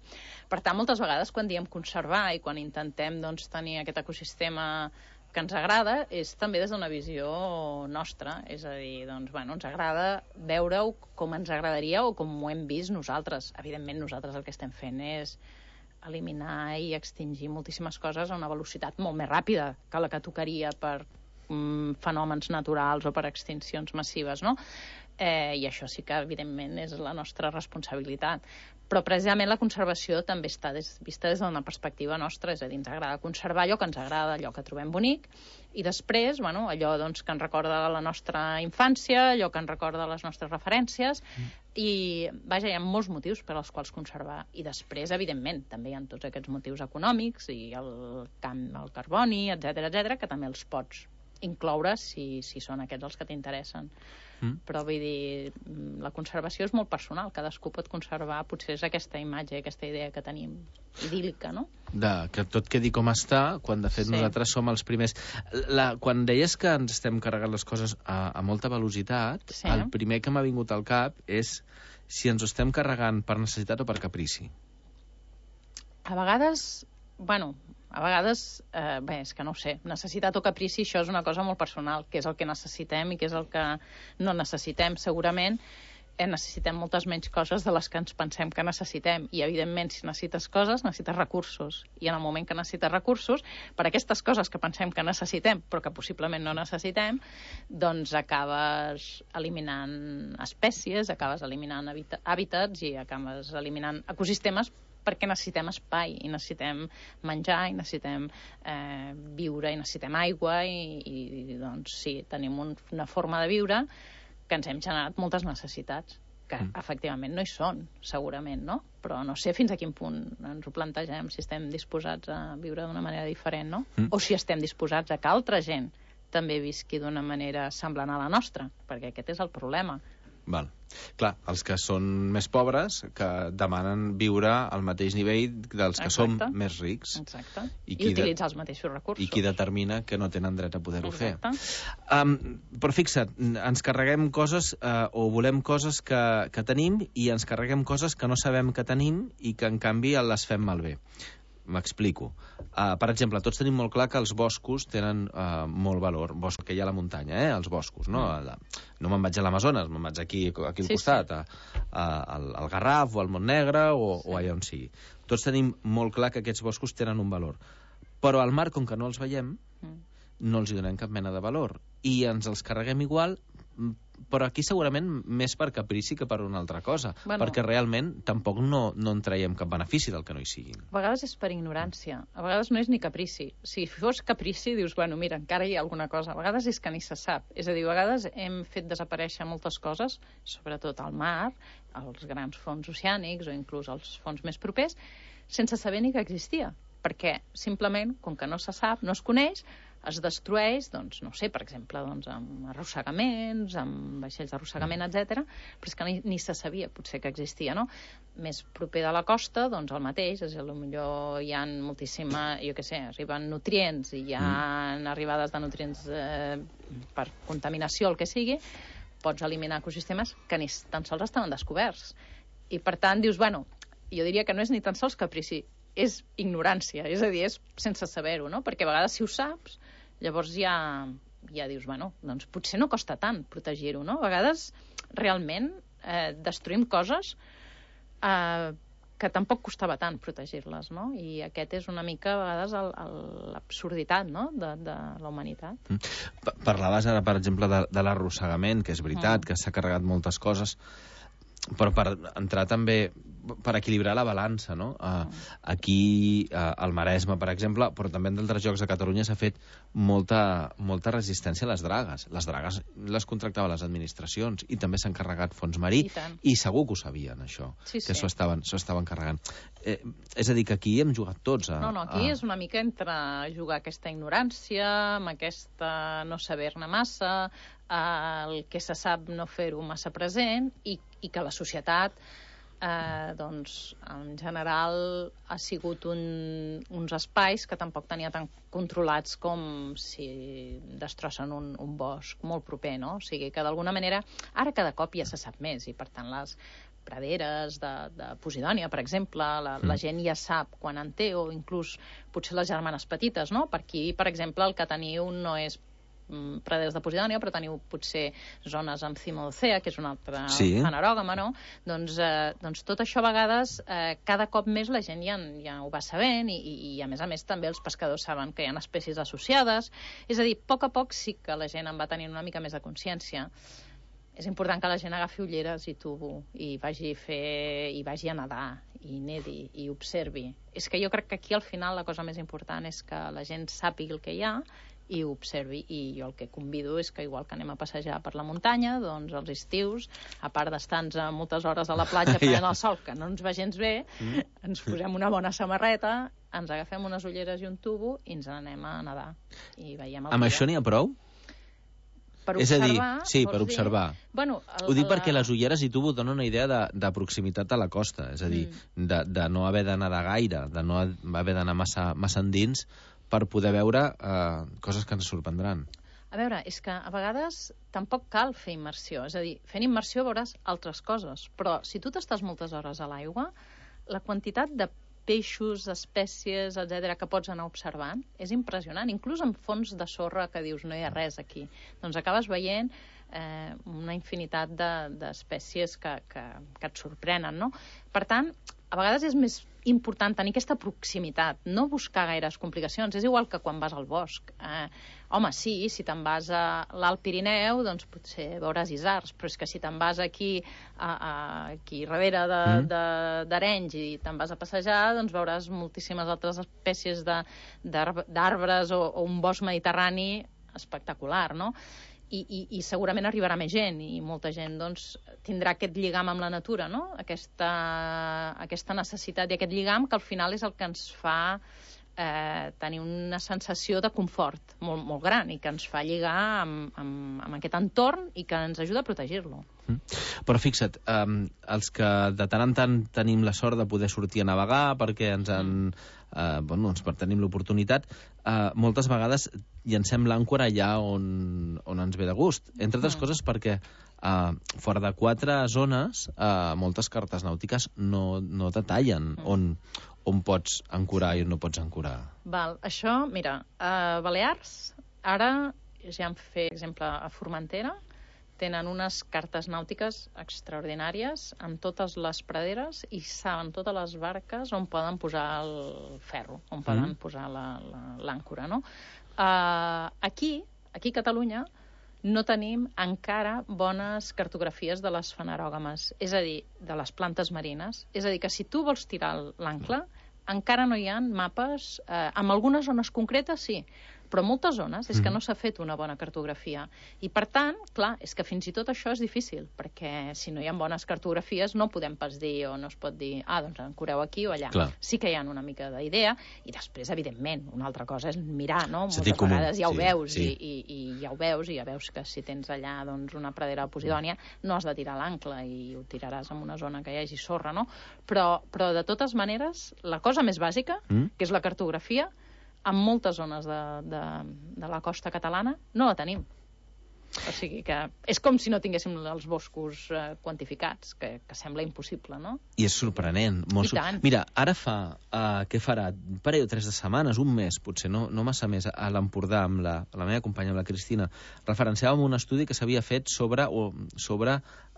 Per tant, moltes vegades quan diem conservar i quan intentem doncs, tenir aquest ecosistema que ens agrada, és també des d'una visió nostra. És a dir, doncs, bueno, ens agrada veure-ho com ens agradaria o com ho hem vist nosaltres. Evidentment, nosaltres el que estem fent és eliminar i extingir moltíssimes coses a una velocitat molt més ràpida que la que tocaria per fenòmens naturals o per extincions massives, no? I això sí que, evidentment, és la nostra responsabilitat. Però, precisament, la conservació també està vista des d'una perspectiva nostra, és a dir, ens agrada conservar allò que ens agrada, allò que trobem bonic, i després, bueno, allò doncs, que ens recorda la nostra infància, allò que ens recorda les nostres referències, i, vaja, hi ha molts motius per als quals conservar. I després, evidentment, també hi ha tots aquests motius econòmics i el carboni, etc., que també els pots incloure si són aquests els que t'interessen. Però vull dir, la conservació és molt personal, cadascú pot conservar, potser és aquesta imatge, aquesta idea que tenim idíl·lica, no? Que tot quedi com està, quan de fet nosaltres som els primers. Quan deies que ens estem carregant les coses a molta velocitat, el primer que m'ha vingut al cap és si ens ho estem carregant per necessitat o per caprici. A vegades, és que no ho sé, necessitat o caprici, això és una cosa molt personal, que és el que necessitem i que és el que no necessitem. Segurament necessitem moltes menys coses de les que ens pensem que necessitem, i evidentment si necessites coses, necessites recursos, i en el moment que necessites recursos, per aquestes coses que pensem que necessitem, però que possiblement no necessitem, doncs acabes eliminant espècies, acabes eliminant hàbitats i acabes eliminant ecosistemes, perquè necessitem espai, i necessitem menjar, i necessitem viure, i necessitem aigua, i doncs sí, tenim una forma de viure que ens hem generat moltes necessitats, que efectivament no hi són, segurament, no? Però no sé fins a quin punt ens ho plantegem, si estem disposats a viure d'una manera diferent, no? O si estem disposats a que altra gent també visqui d'una manera semblant a la nostra, perquè aquest és el problema. Val. Clar, els que són més pobres, que demanen viure al mateix nivell dels que som més rics. Exacte. I utilitzar els mateixos recursos. I qui determina que no tenen dret a poder-ho fer. Però fixa't, ens carreguem coses o volem coses que tenim i ens carreguem coses que no sabem que tenim i que en canvi les fem malbé. M'explico. Per exemple, tots tenim molt clar que els boscos tenen molt valor. Bosc que hi ha a la muntanya, els boscos, no? No me'n vaig a l'Amazones, me'n vaig aquí al costat, al Garraf o al Montnegre o allà on sigui. Tots tenim molt clar que aquests boscos tenen un valor. Però al mar, com que no els veiem, no els hi donem cap mena de valor. I ens els carreguem igual, però aquí segurament més per caprici que per una altra cosa, perquè realment tampoc no en traiem cap benefici del que no hi siguin. A vegades és per ignorància, a vegades no és ni caprici. Si fos caprici dius, bueno, mira, encara hi ha alguna cosa. A vegades és que ni se sap. És a dir, a vegades hem fet desaparèixer moltes coses, sobretot al mar, als grans fons oceànics o inclús als fons més propers, sense saber ni que existia. Perquè simplement, com que no se sap, no es coneix, es destrueix, doncs, no sé, per exemple, doncs, amb arrossegaments, amb vaixells d'arrossegament, etc. Però és que ni se sabia, potser, que existia, no? Més proper de la costa, doncs, el mateix, és a dir, potser hi ha moltíssima, jo què sé, arriben nutrients i hi ha arribades de nutrients per contaminació, el que sigui, pots eliminar ecosistemes que ni tan sols estaven descoberts. I, per tant, dius, bueno, jo diria que no és ni tan sols caprici, és ignorància, és a dir, és sense saber-ho, no? Perquè a vegades si ho saps, llavors ja dius, bueno, doncs potser no costa tant protegir-ho, no? A vegades realment destruïm coses que tampoc costava tant protegir-les, no? I aquest és una mica, a vegades, l'absurditat, no?, de la humanitat. Parlaves ara, per exemple, de l'arrossegament, que és veritat, que s'ha carregat moltes coses, però per entrar també, per equilibrar la balança, no? Aquí, al Maresme, per exemple, però també en d'altres llocs de Catalunya s'ha fet molta resistència a les dragues. Les dragues les contractaven les administracions i també s'han carregat fons marí i segur que ho sabien, això, que s'ho estaven carregant. És a dir, que aquí hem jugat tots. No, aquí és una mica entre jugar aquesta ignorància, amb aquesta no saber-ne massa, el que se sap no fer-ho massa present i que la societat doncs en general ha sigut uns espais que tampoc tenia tan controlats com si destrossen un bosc molt proper, no? O sigui que d'alguna manera ara cada cop ja se sap més i per tant les praderes de Posidònia, per exemple, la gent ja sap quan en té, o inclús potser les germanes petites, no? Per aquí, per exemple, el que teniu no és praderes de Posidònia, però teniu potser zones amb cimodocea, que és un altre fanerògama, no? Doncs tot això a vegades cada cop més la gent ja ho va sabent i a més també els pescadors saben que hi ha espècies associades. És a dir, a poc sí que la gent en va tenir una mica més de consciència. És important que la gent agafi ulleres i tubo i vagi a nedar i nedi i observi. És que jo crec que aquí al final la cosa més important és que la gent sàpiga el que hi ha i ho observi, i jo el que convido és que igual que anem a passejar per la muntanya, doncs als estius, a part d'estar-nos moltes hores a la platja prenent el sol, que no ens va gens bé, ens posem una bona samarreta, ens agafem unes ulleres i un tubo i ens n'anem a nedar i veiem el dia. Amb això n'hi ha prou? Per observar, és a dir, sí, per observar. Bueno, ho dic perquè les ulleres i tubo donen una idea de proximitat a la costa, és a dir, de no haver de nedar gaire, de no haver d'anar massa endins per poder veure coses que ens sorprendran. A veure, és que a vegades tampoc cal fer immersió. És a dir, fent immersió veuràs altres coses, però si tu t'estàs moltes hores a l'aigua, la quantitat de peixos, espècies, etc., que pots anar observant és impressionant. Inclús en fons de sorra que dius no hi ha res aquí. Doncs acabes veient una infinitat d'espècies que et sorprenen, no? Per tant, a vegades és més important tenir aquesta proximitat, no buscar gaires complicacions. És igual que quan vas al bosc. Home, sí, si te'n vas a l'Alt Pirineu, doncs potser veuràs isards, però és que si te'n vas aquí darrere d'Arenys i te'n vas a passejar, doncs veuràs moltíssimes altres espècies d'arbres o un bosc mediterrani espectacular, no? I segurament arribarà més gent i molta gent doncs, tindrà aquest lligam amb la natura, no? Aquesta necessitat i aquest lligam que al final és el que ens fa tenir una sensació de confort molt, molt gran i que ens fa lligar amb aquest entorn i que ens ajuda a protegir-lo. Però fixa't, els que de tant en tant tenim la sort de poder sortir a navegar perquè per tenim l'oportunitat, moltes vegades llancem l'àncora allà on ens ve de gust. Entre altres coses perquè fora de 4 zones moltes cartes nàutiques no detallen on pots ancorar i on no pots ancorar. Val, això, mira, a Balears ara ja han fet, exemple, a Formentera tenen unes cartes nàutiques extraordinàries amb totes les praderes i saben totes les barques on poden posar el ferro, on poden posar l'àncora, no? Aquí a Catalunya no tenim encara bones cartografies de les fanerògames, és a dir, de les plantes marines. És a dir, que si tu vols tirar l'ancle, encara no hi ha mapes, en algunes zones concretes sí, però en moltes zones és que no s'ha fet una bona cartografia. I per tant, clar, és que fins i tot això és difícil, perquè si no hi ha bones cartografies no podem pas dir, o no es pot dir, doncs ancoreu aquí o allà. Clar. Sí que hi ha una mica d'idea, i després, evidentment, una altra cosa és mirar, no? Moltes vegades ja ho veus, i ja ho veus, i ja veus que si tens allà doncs, una pradera de Posidònia, no has de tirar l'ancle i ho tiraràs en una zona que hi hagi sorra, no? Però de totes maneres, la cosa més bàsica, que és la cartografia, en moltes zones de la costa catalana no la tenim. O sigui que és com si no tinguéssim els boscos quantificats, que sembla impossible, no? I és sorprenent. I tant. Mira, ara què farà? Un parell o 3 de setmanes, un mes, potser, no massa més, a l'Empordà, amb la meva companya, amb la Cristina, referenciàvem un estudi que s'havia fet sobre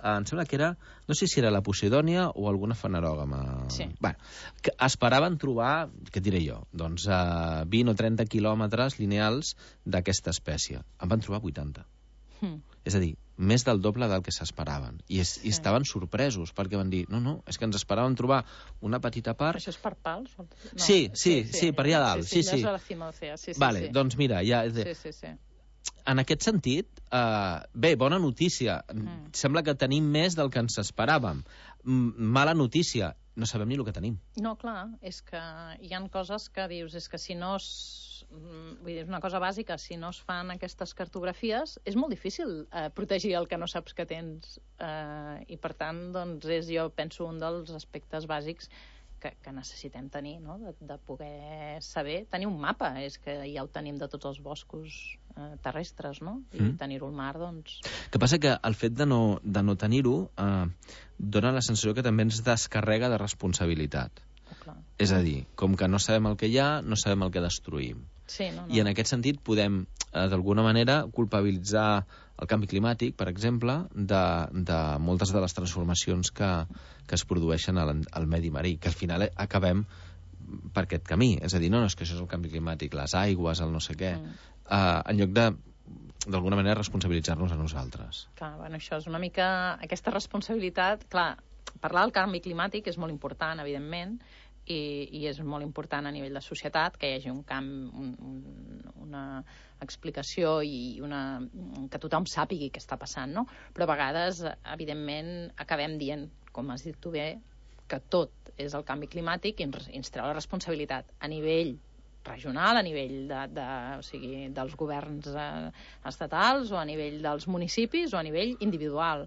em sembla que era, no sé si era la posidònia o alguna fanerògama. Sí. Bueno, que esperaven trobar, què et diré jo, doncs 20 o 30 quilòmetres lineals d'aquesta espècie. En van trobar 80. És a dir, més del doble del que s'esperaven. I estaven sorpresos, perquè van dir, no, és que ens esperaven trobar una petita part... Això és per pals? No. Sí, per allà dalt. Sí. Vale, doncs mira, ja... Sí. En aquest sentit, bé, bona notícia. Sembla que tenim més del que ens esperàvem. Mala notícia, no sabem ni el que tenim. No, clar, és que hi han coses que dius, és que si no vull dir, és una cosa bàsica, si no es fan aquestes cartografies, és molt difícil protegir el que no saps que tens. I per tant, doncs, jo penso un dels aspectes bàsics que necessitem tenir, no? De poder saber, tenir un mapa, és que ja ho tenim de tots els boscos terrestres, no? I tenir-ho al mar, doncs... El que passa que el fet de no tenir-ho dona la sensació que també ens descarrega de responsabilitat. És a dir, com que no sabem el que hi ha, no sabem el que destruïm. Sí, no. I en aquest sentit podem, d'alguna manera, culpabilitzar el canvi climàtic, per exemple, de moltes de les transformacions que es produeixen al medi marí, que al final acabem per aquest camí. És a dir, no, és que això és el canvi climàtic, les aigües, el no sé què, en lloc d'alguna manera, responsabilitzar-nos a nosaltres. Clar, bueno, això és una mica... Aquesta responsabilitat, clar, parlar del canvi climàtic és molt important, evidentment, i és molt important a nivell de societat que hi hagi una explicació i que tothom sàpigui què està passant, no? Però a vegades, evidentment, acabem dient, com has dit tu bé, que tot és el canvi climàtic i ens treu la responsabilitat a nivell regional, a nivell dels governs estatals o a nivell dels municipis o a nivell individual.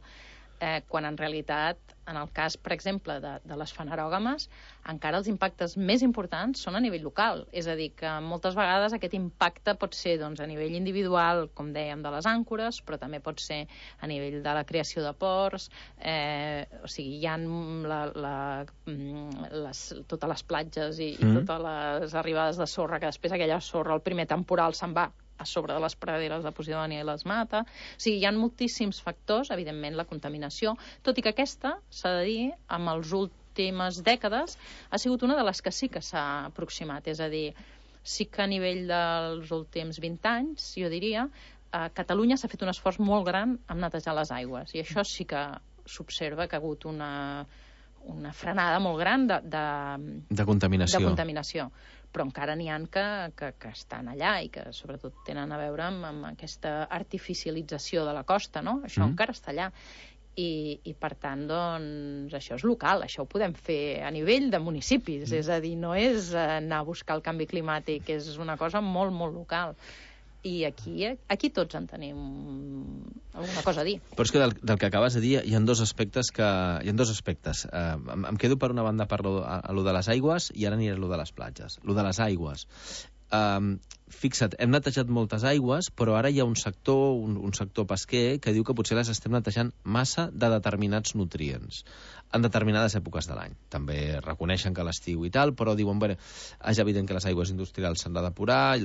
Quan en realitat, en el cas, per exemple, de les fanerògames, encara els impactes més importants són a nivell local. És a dir, que moltes vegades aquest impacte pot ser doncs, a nivell individual, com dèiem, de les àncores, però també pot ser a nivell de la creació de ports, o sigui, hi ha totes les platges i totes les arribades de sorra, que després aquella sorra, el primer temporal, se'n va a sobre de les praderes de Posidònia i les mata. O sigui, hi ha moltíssims factors, evidentment la contaminació, tot i que aquesta, s'ha de dir, amb les últimes dècades, ha sigut una de les que sí que s'ha aproximat. És a dir, sí que a nivell dels últims 20 anys, jo diria, a Catalunya s'ha fet un esforç molt gran en netejar les aigües, i això sí que s'observa que ha hagut una frenada molt gran de contaminació. Però encara n'hi ha que estan allà i que sobretot tenen a veure amb aquesta artificialització de la costa, no? Això encara està allà. I per tant, doncs, això és local, això ho podem fer a nivell de municipis, és a dir, no és anar a buscar el canvi climàtic, és una cosa molt, molt local. I aquí tots en tenim alguna cosa a dir. Però és que del que acabes de dir hi ha dos aspectes. Em quedo per una banda per lo de les aigües i ara aniré a lo de les platges. Lo de les aigües. Fixa't, hem netejat moltes aigües, però ara hi ha un sector pesquer que diu que potser les estem netejant massa de determinats nutrients en determinades èpoques de l'any. També reconeixen que l'estiu i tal, però diuen, bé, és evident que les aigües industrials s'han de depurar,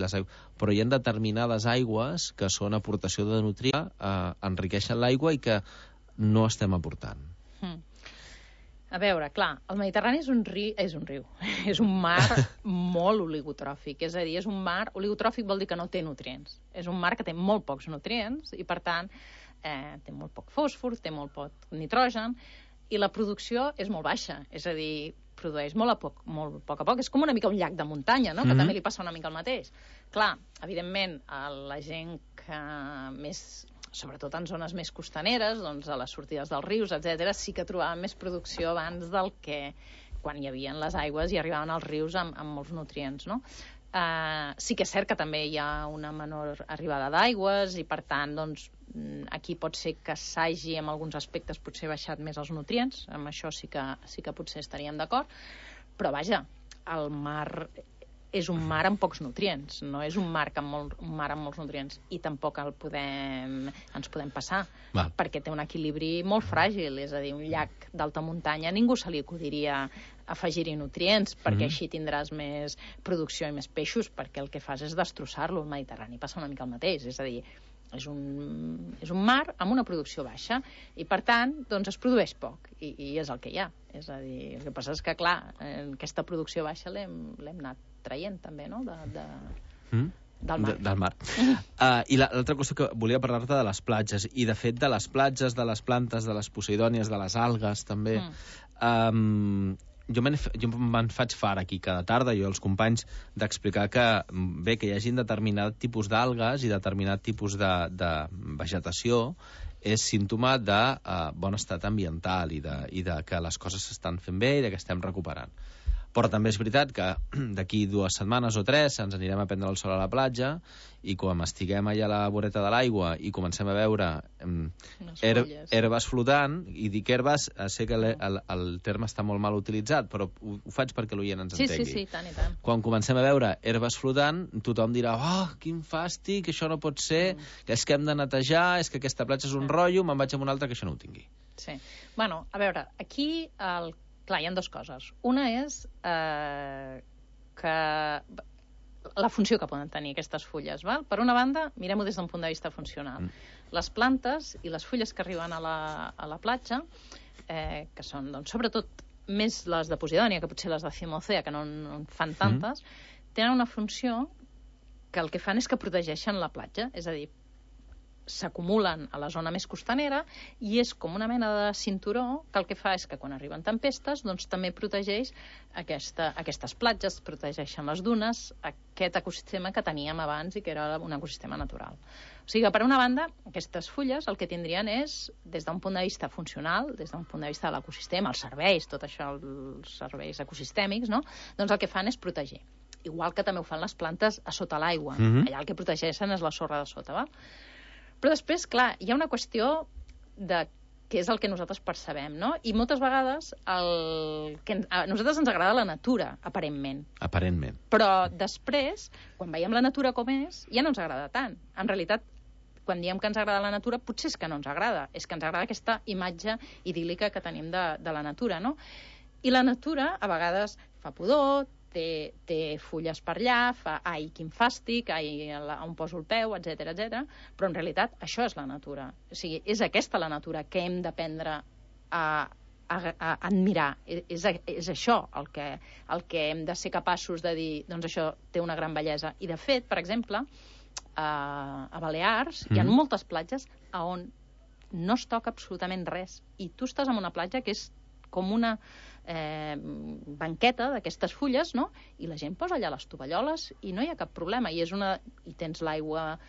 però hi ha determinades aigües que són aportació de nutrients, enriqueixen l'aigua i que no estem aportant. A veure, clar, el Mediterrani és un riu, és un mar molt oligotròfic, és a dir, és un mar oligotròfic vol dir que no té nutrients, és un mar que té molt pocs nutrients i per tant té molt poc fòsfor, té molt poc nitrogen i la producció és molt baixa, és a dir, produeix molt a poc, és com una mica un llac de muntanya, no? Que també li passa una mica el mateix. Clar, evidentment, la gent que més... sobretot en zones més costaneres, doncs a les sortides dels rius, etc., sí que trobàvem més producció abans del que quan hi havia les aigües i arribaven als rius amb molts nutrients, no? Sí que és cert que també hi ha una menor arribada d'aigües i, per tant, doncs, aquí pot ser que s'hagi, en alguns aspectes, potser baixat més els nutrients, amb això sí que potser estaríem d'acord, però vaja, el mar és un mar amb pocs nutrients, no és un mar amb molts nutrients, i tampoc ens podem passar, perquè té un equilibri molt fràgil, és a dir, un llac d'alta muntanya ningú se li acudiria afegir-hi nutrients, perquè així tindràs més producció i més peixos, perquè el que fas és destrossar-lo. El Mediterrani passa una mica el mateix, és a dir, és un mar amb una producció baixa i, per tant, doncs es produeix poc i és el que hi ha. És a dir, el que passa és que, clar, aquesta producció baixa l'hem anat traient també, no?, del mar. I l'altra qüestió que volia parlar-te de les platges, i de fet de les platges, de les plantes, de les poseidònies, de les algues també. Jo me'n faig fart aquí cada tarda, jo als companys, d'explicar que bé, que hi hagi determinat tipus d'algues i determinat tipus de vegetació és símptoma de bon estat ambiental i de que les coses s'estan fent bé i de que estem recuperant. Però també és veritat que d'aquí 2 setmanes o 3 ens anirem a prendre el sol a la platja i quan estiguem allà a la voreta de l'aigua i comencem a veure herbes flotant, i dic herbes, sé que el terme està molt mal utilitzat, però ho faig perquè l'oient ens entengui. Sí, tant i tant. Quan comencem a veure herbes flotant, tothom dirà, quin fàstic, això no pot ser, que és que hem de netejar, és que aquesta platja és un rotllo, me'n vaig a una altra que això no ho tingui. Sí. Bueno, a veure, aquí clar, hi ha 2 coses. Una és que la funció que poden tenir aquestes fulles. Val? Per una banda, mirem-ho des d'un punt de vista funcional. Les plantes i les fulles que arriben a la platja, que són, doncs, sobretot, més les de Posidònia, que potser les de Cimocea, que no en fan tantes, tenen una funció que el que fan és que protegeixen la platja. És a dir, s'acumulen a la zona més costanera i és com una mena de cinturó que el que fa és que quan arriben tempestes doncs també protegeix aquestes platges, protegeixen les dunes, aquest ecosistema que teníem abans i que era un ecosistema natural. O sigui que, per una banda, aquestes fulles el que tindrien és, des d'un punt de vista funcional, des d'un punt de vista de l'ecosistema, els serveis, tot això, els serveis ecosistèmics, no? Doncs el que fan és protegir. Igual que també ho fan les plantes a sota l'aigua. Allà el que protegeixen és la sorra de sota, val? Però després, clar, hi ha una qüestió de què és el que nosaltres percebem, no? I moltes vegades a nosaltres ens agrada la natura, aparentment. Aparentment. Però després, quan veiem la natura com és, ja no ens agrada tant. En realitat, quan diem que ens agrada la natura, potser és que no ens agrada. És que ens agrada aquesta imatge idíl·lica que tenim de la natura, no? I la natura, a vegades, fa pudor, té fulles per allà, fa ai, quin fàstic, ai, on poso el peu, etc etc. Però en realitat això és la natura. O sigui, és aquesta la natura que hem d'aprendre a admirar. És això el que hem de ser capaços de dir, doncs això té una gran bellesa. I de fet, per exemple, a Balears hi ha moltes platges on no es toca absolutament res. I tu estàs en una platja que és com una banqueta d'aquestes fulles, no? I la gent posa allà les tovalloles i no hi ha cap problema. I tens l'aigua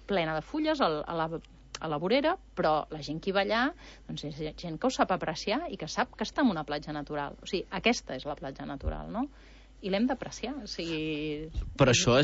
plena de fulles a la vorera, però la gent que hi va allà doncs és gent que ho sap apreciar i que sap que està en una platja natural. O sigui, aquesta és la platja natural, no? I l'hem d'apreciar. O sigui... Però això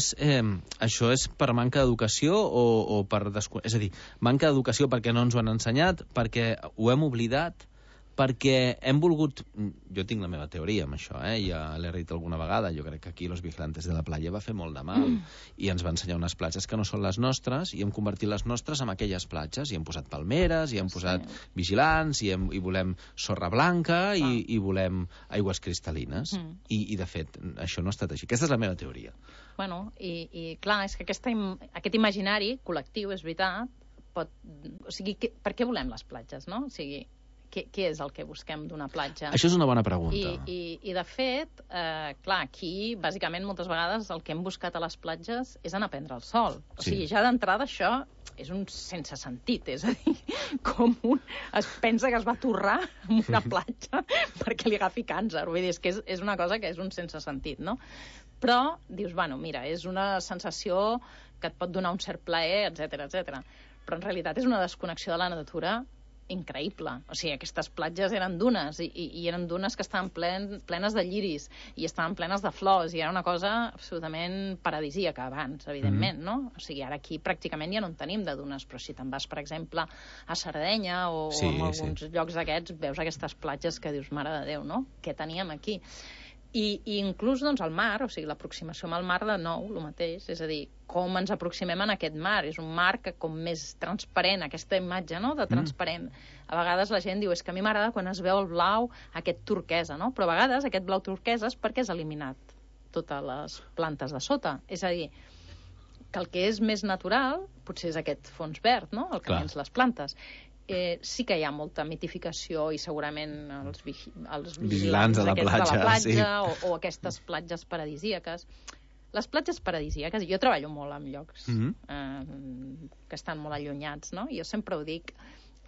és per manca d'educació o per és a dir, manca d'educació perquè no ens ho han ensenyat, perquè ho hem oblidat, perquè hem volgut... Jo tinc la meva teoria amb això, ja l'he dit alguna vegada, jo crec que aquí Los Vigilantes de la Playa va fer molt de mal, i ens va ensenyar unes platges que no són les nostres, i hem convertit les nostres en aquelles platges, i hem posat palmeres, i hem posat vigilants, i volem sorra blanca, i volem aigües cristal·lines. I, de fet, això no ha estat així. Aquesta és la meva teoria. Bueno, i clar, és que aquest imaginari col·lectiu, és veritat, o sigui, per què volem les platges, no? O sigui, què és el que busquem d'una platja? Això és una bona pregunta. I de fet, clar, aquí, bàsicament, moltes vegades el que hem buscat a les platges és anar a prendre el sol. O sigui, ja d'entrada això és un sense sentit, és a dir, com un es pensa que es va torrar en una platja perquè li agafi càncer. Vull dir, és que és una cosa que és un sense sentit, no? Però dius, bueno, mira, és una sensació que et pot donar un cert plaer, etc etc. Però en realitat és una desconnexió de la natura increïble. O sigui, aquestes platges eren dunes i eren dunes que estaven plenes de lliris i estaven plenes de flors i era una cosa absolutament paradisíaca abans, evidentment, no? O sigui, ara aquí pràcticament ja no en tenim de dunes, però si te'n vas, per exemple, a Sardenya o en alguns llocs d'aquests, veus aquestes platges que dius, mare de Déu, no? Què teníem aquí? I inclús doncs, el mar, o sigui, l'aproximació amb el mar de nou, el mateix, és a dir, com ens aproximem en aquest mar. És un mar que com més transparent, aquesta imatge, no?, de transparent. A vegades la gent diu, és que a mi m'agrada quan es veu el blau, aquest turquesa, no? Però a vegades aquest blau turquesa és perquè has eliminat totes les plantes de sota. És a dir, que el que és més natural potser és aquest fons verd, no?, el que tens les plantes. Sí que hi ha molta mitificació i segurament els vigilants de la platja sí. o aquestes platges paradisíaques. Les platges paradisíaques, jo treballo molt en llocs que estan molt allunyats, no? Jo sempre ho dic,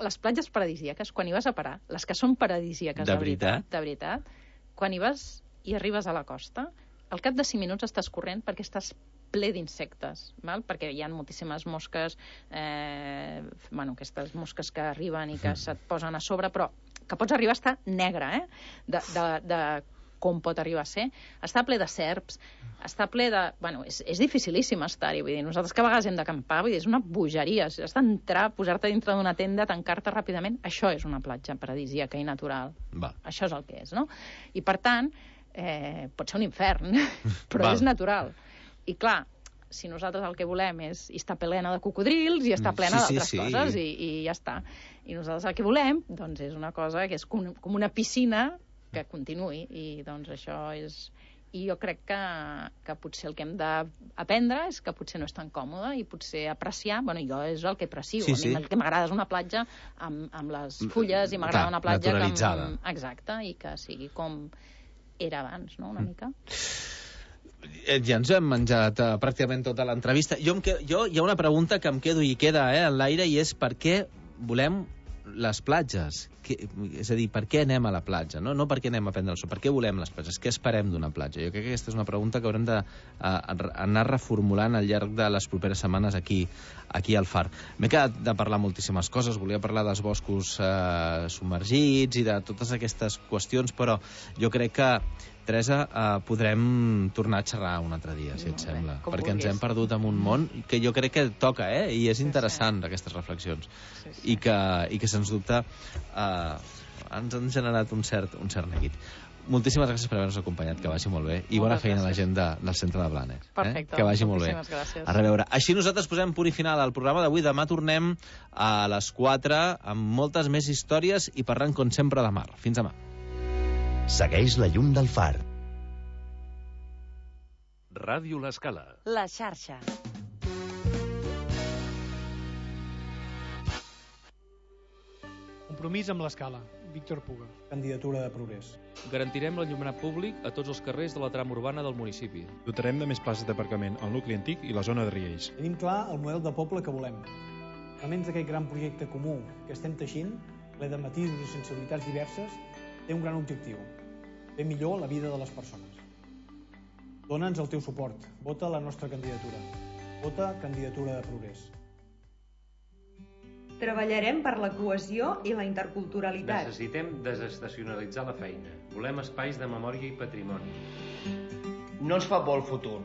les platges paradisíaques, quan hi vas a parar, les que són paradisíaques de veritat, quan hi vas i arribes a la costa, al cap de 5 minuts estàs corrent perquè estàs ple d'insectes, perquè hi ha moltíssimes mosques, aquestes mosques que arriben i que se't posen a sobre, però que pots arribar a estar negre, de com pot arribar a ser. Està ple de serps, està ple de... és dificilíssim estar-hi, vull dir, nosaltres que a vegades hem d'acampar, vull dir, és una bogeria, has d'entrar, posar-te dintre d'una tenda, tancar-te ràpidament, això és una platja paradisíaca i natural. Això és el que és, no? I per tant, pot ser un infern, però és natural. I clar, si nosaltres el que volem és estar plena de cocodrils i estar plena d'altres coses i ja està. I nosaltres el que volem doncs, és una cosa que és com una piscina que continuï i doncs això és... I jo crec que potser el que hem d'aprendre és que potser no és tan còmode i potser apreciar, jo és el que aprecio. A mi el que m'agrada és una platja amb les fulles i m'agrada una platja naturalitzada. Exacte, i que sigui com era abans, no?, una mica. Ja ens hem menjat pràcticament tota l'entrevista. Hi ha una pregunta que em quedo i queda en l'aire i és per què volem les platges? És a dir, per què anem a la platja? No per què anem a prendre el sol, per què volem les platges? Què esperem d'una platja? Jo crec que aquesta és una pregunta que haurem d'anar reformulant al llarg de les properes setmanes aquí al Far. M'he quedat de parlar moltíssimes coses, volia parlar dels boscos submergits i de totes aquestes qüestions, però jo crec que Teresa, podrem tornar a xerrar un altre dia, si et sembla, perquè ens hem perdut en un món que jo crec que toca, i és interessant, aquestes reflexions, i que sens dubte ens han generat un cert neguit. Moltíssimes gràcies per haver-nos acompanyat, que vagi molt bé, i bona feina a la gent del centre de Blanes. Perfecte, que vagi molt bé. Gràcies. A reveure. Així nosaltres posem punt i final al programa d'avui. Demà tornem a les 4 amb moltes més històries i parlant, com sempre, de mar. Fins demà. Segueix la llum del Far. Ràdio L'Escala. La xarxa. Compromís amb l'Escala. Víctor Puga. Candidatura de Progrés. Garantirem l'enllumenat públic a tots els carrers de la trama urbana del municipi. Dotarem de més places d'aparcament al nucli antic i la zona de Riells. Tenim clar el model de poble que volem. Elements d'aquest gran projecte comú que estem teixint, ple de matisos i sensibilitats diverses, té un gran objectiu: fer millor la vida de les persones. Dóna'ns el teu suport. Vota la nostra candidatura. Vota Candidatura de Progrés. Treballarem per la cohesió i la interculturalitat. Necessitem desestacionalitzar la feina. Volem espais de memòria i patrimoni. No ens fa por el futur.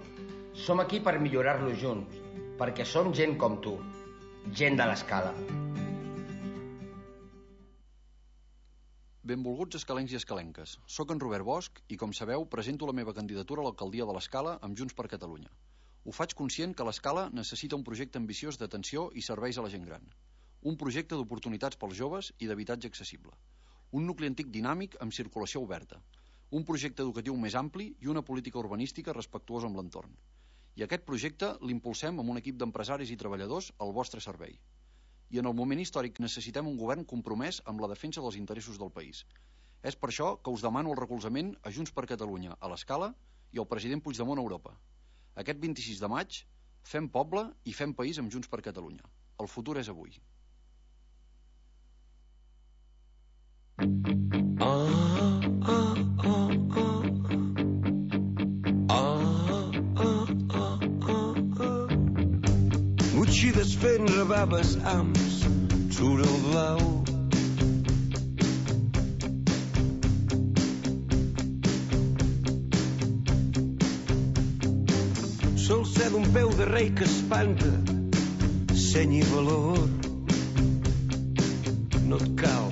Som aquí per millorar-lo junts, perquè som gent com tu, gent de l'Escala. Benvolguts escalencs i escalenques. Soc en Robert Bosch i, com sabeu, presento la meva candidatura a l'alcaldia de l'Escala amb Junts per Catalunya. Ho faig conscient que l'Escala necessita un projecte ambiciós d'atenció i serveis a la gent gran. Un projecte d'oportunitats pels joves i d'habitatge accessible. Un nucli antic dinàmic amb circulació oberta. Un projecte educatiu més ampli i una política urbanística respectuosa amb l'entorn. I aquest projecte l'impulsem amb un equip d'empresaris i treballadors al vostre servei. I en el moment històric necessitem un govern compromès amb la defensa dels interessos del país. És per això que us demano el recolzament a Junts per Catalunya a l'Escala i al president Puigdemont a Europa. Aquest 26 de maig fem poble i fem país amb Junts per Catalunya. El futur és avui. Gucci desfent rebaves amb surt el blau. Sol ser d'un peu de rei que espanta, seny i valor. No et cal.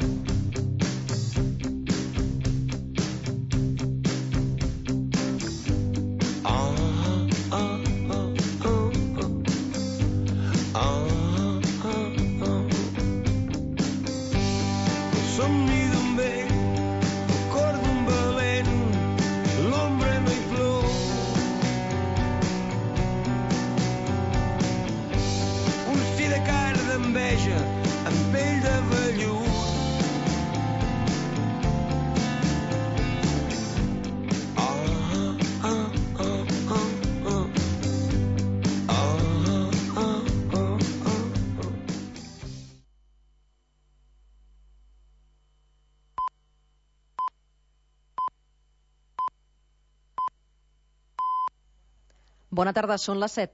Bona tarda, són les 7.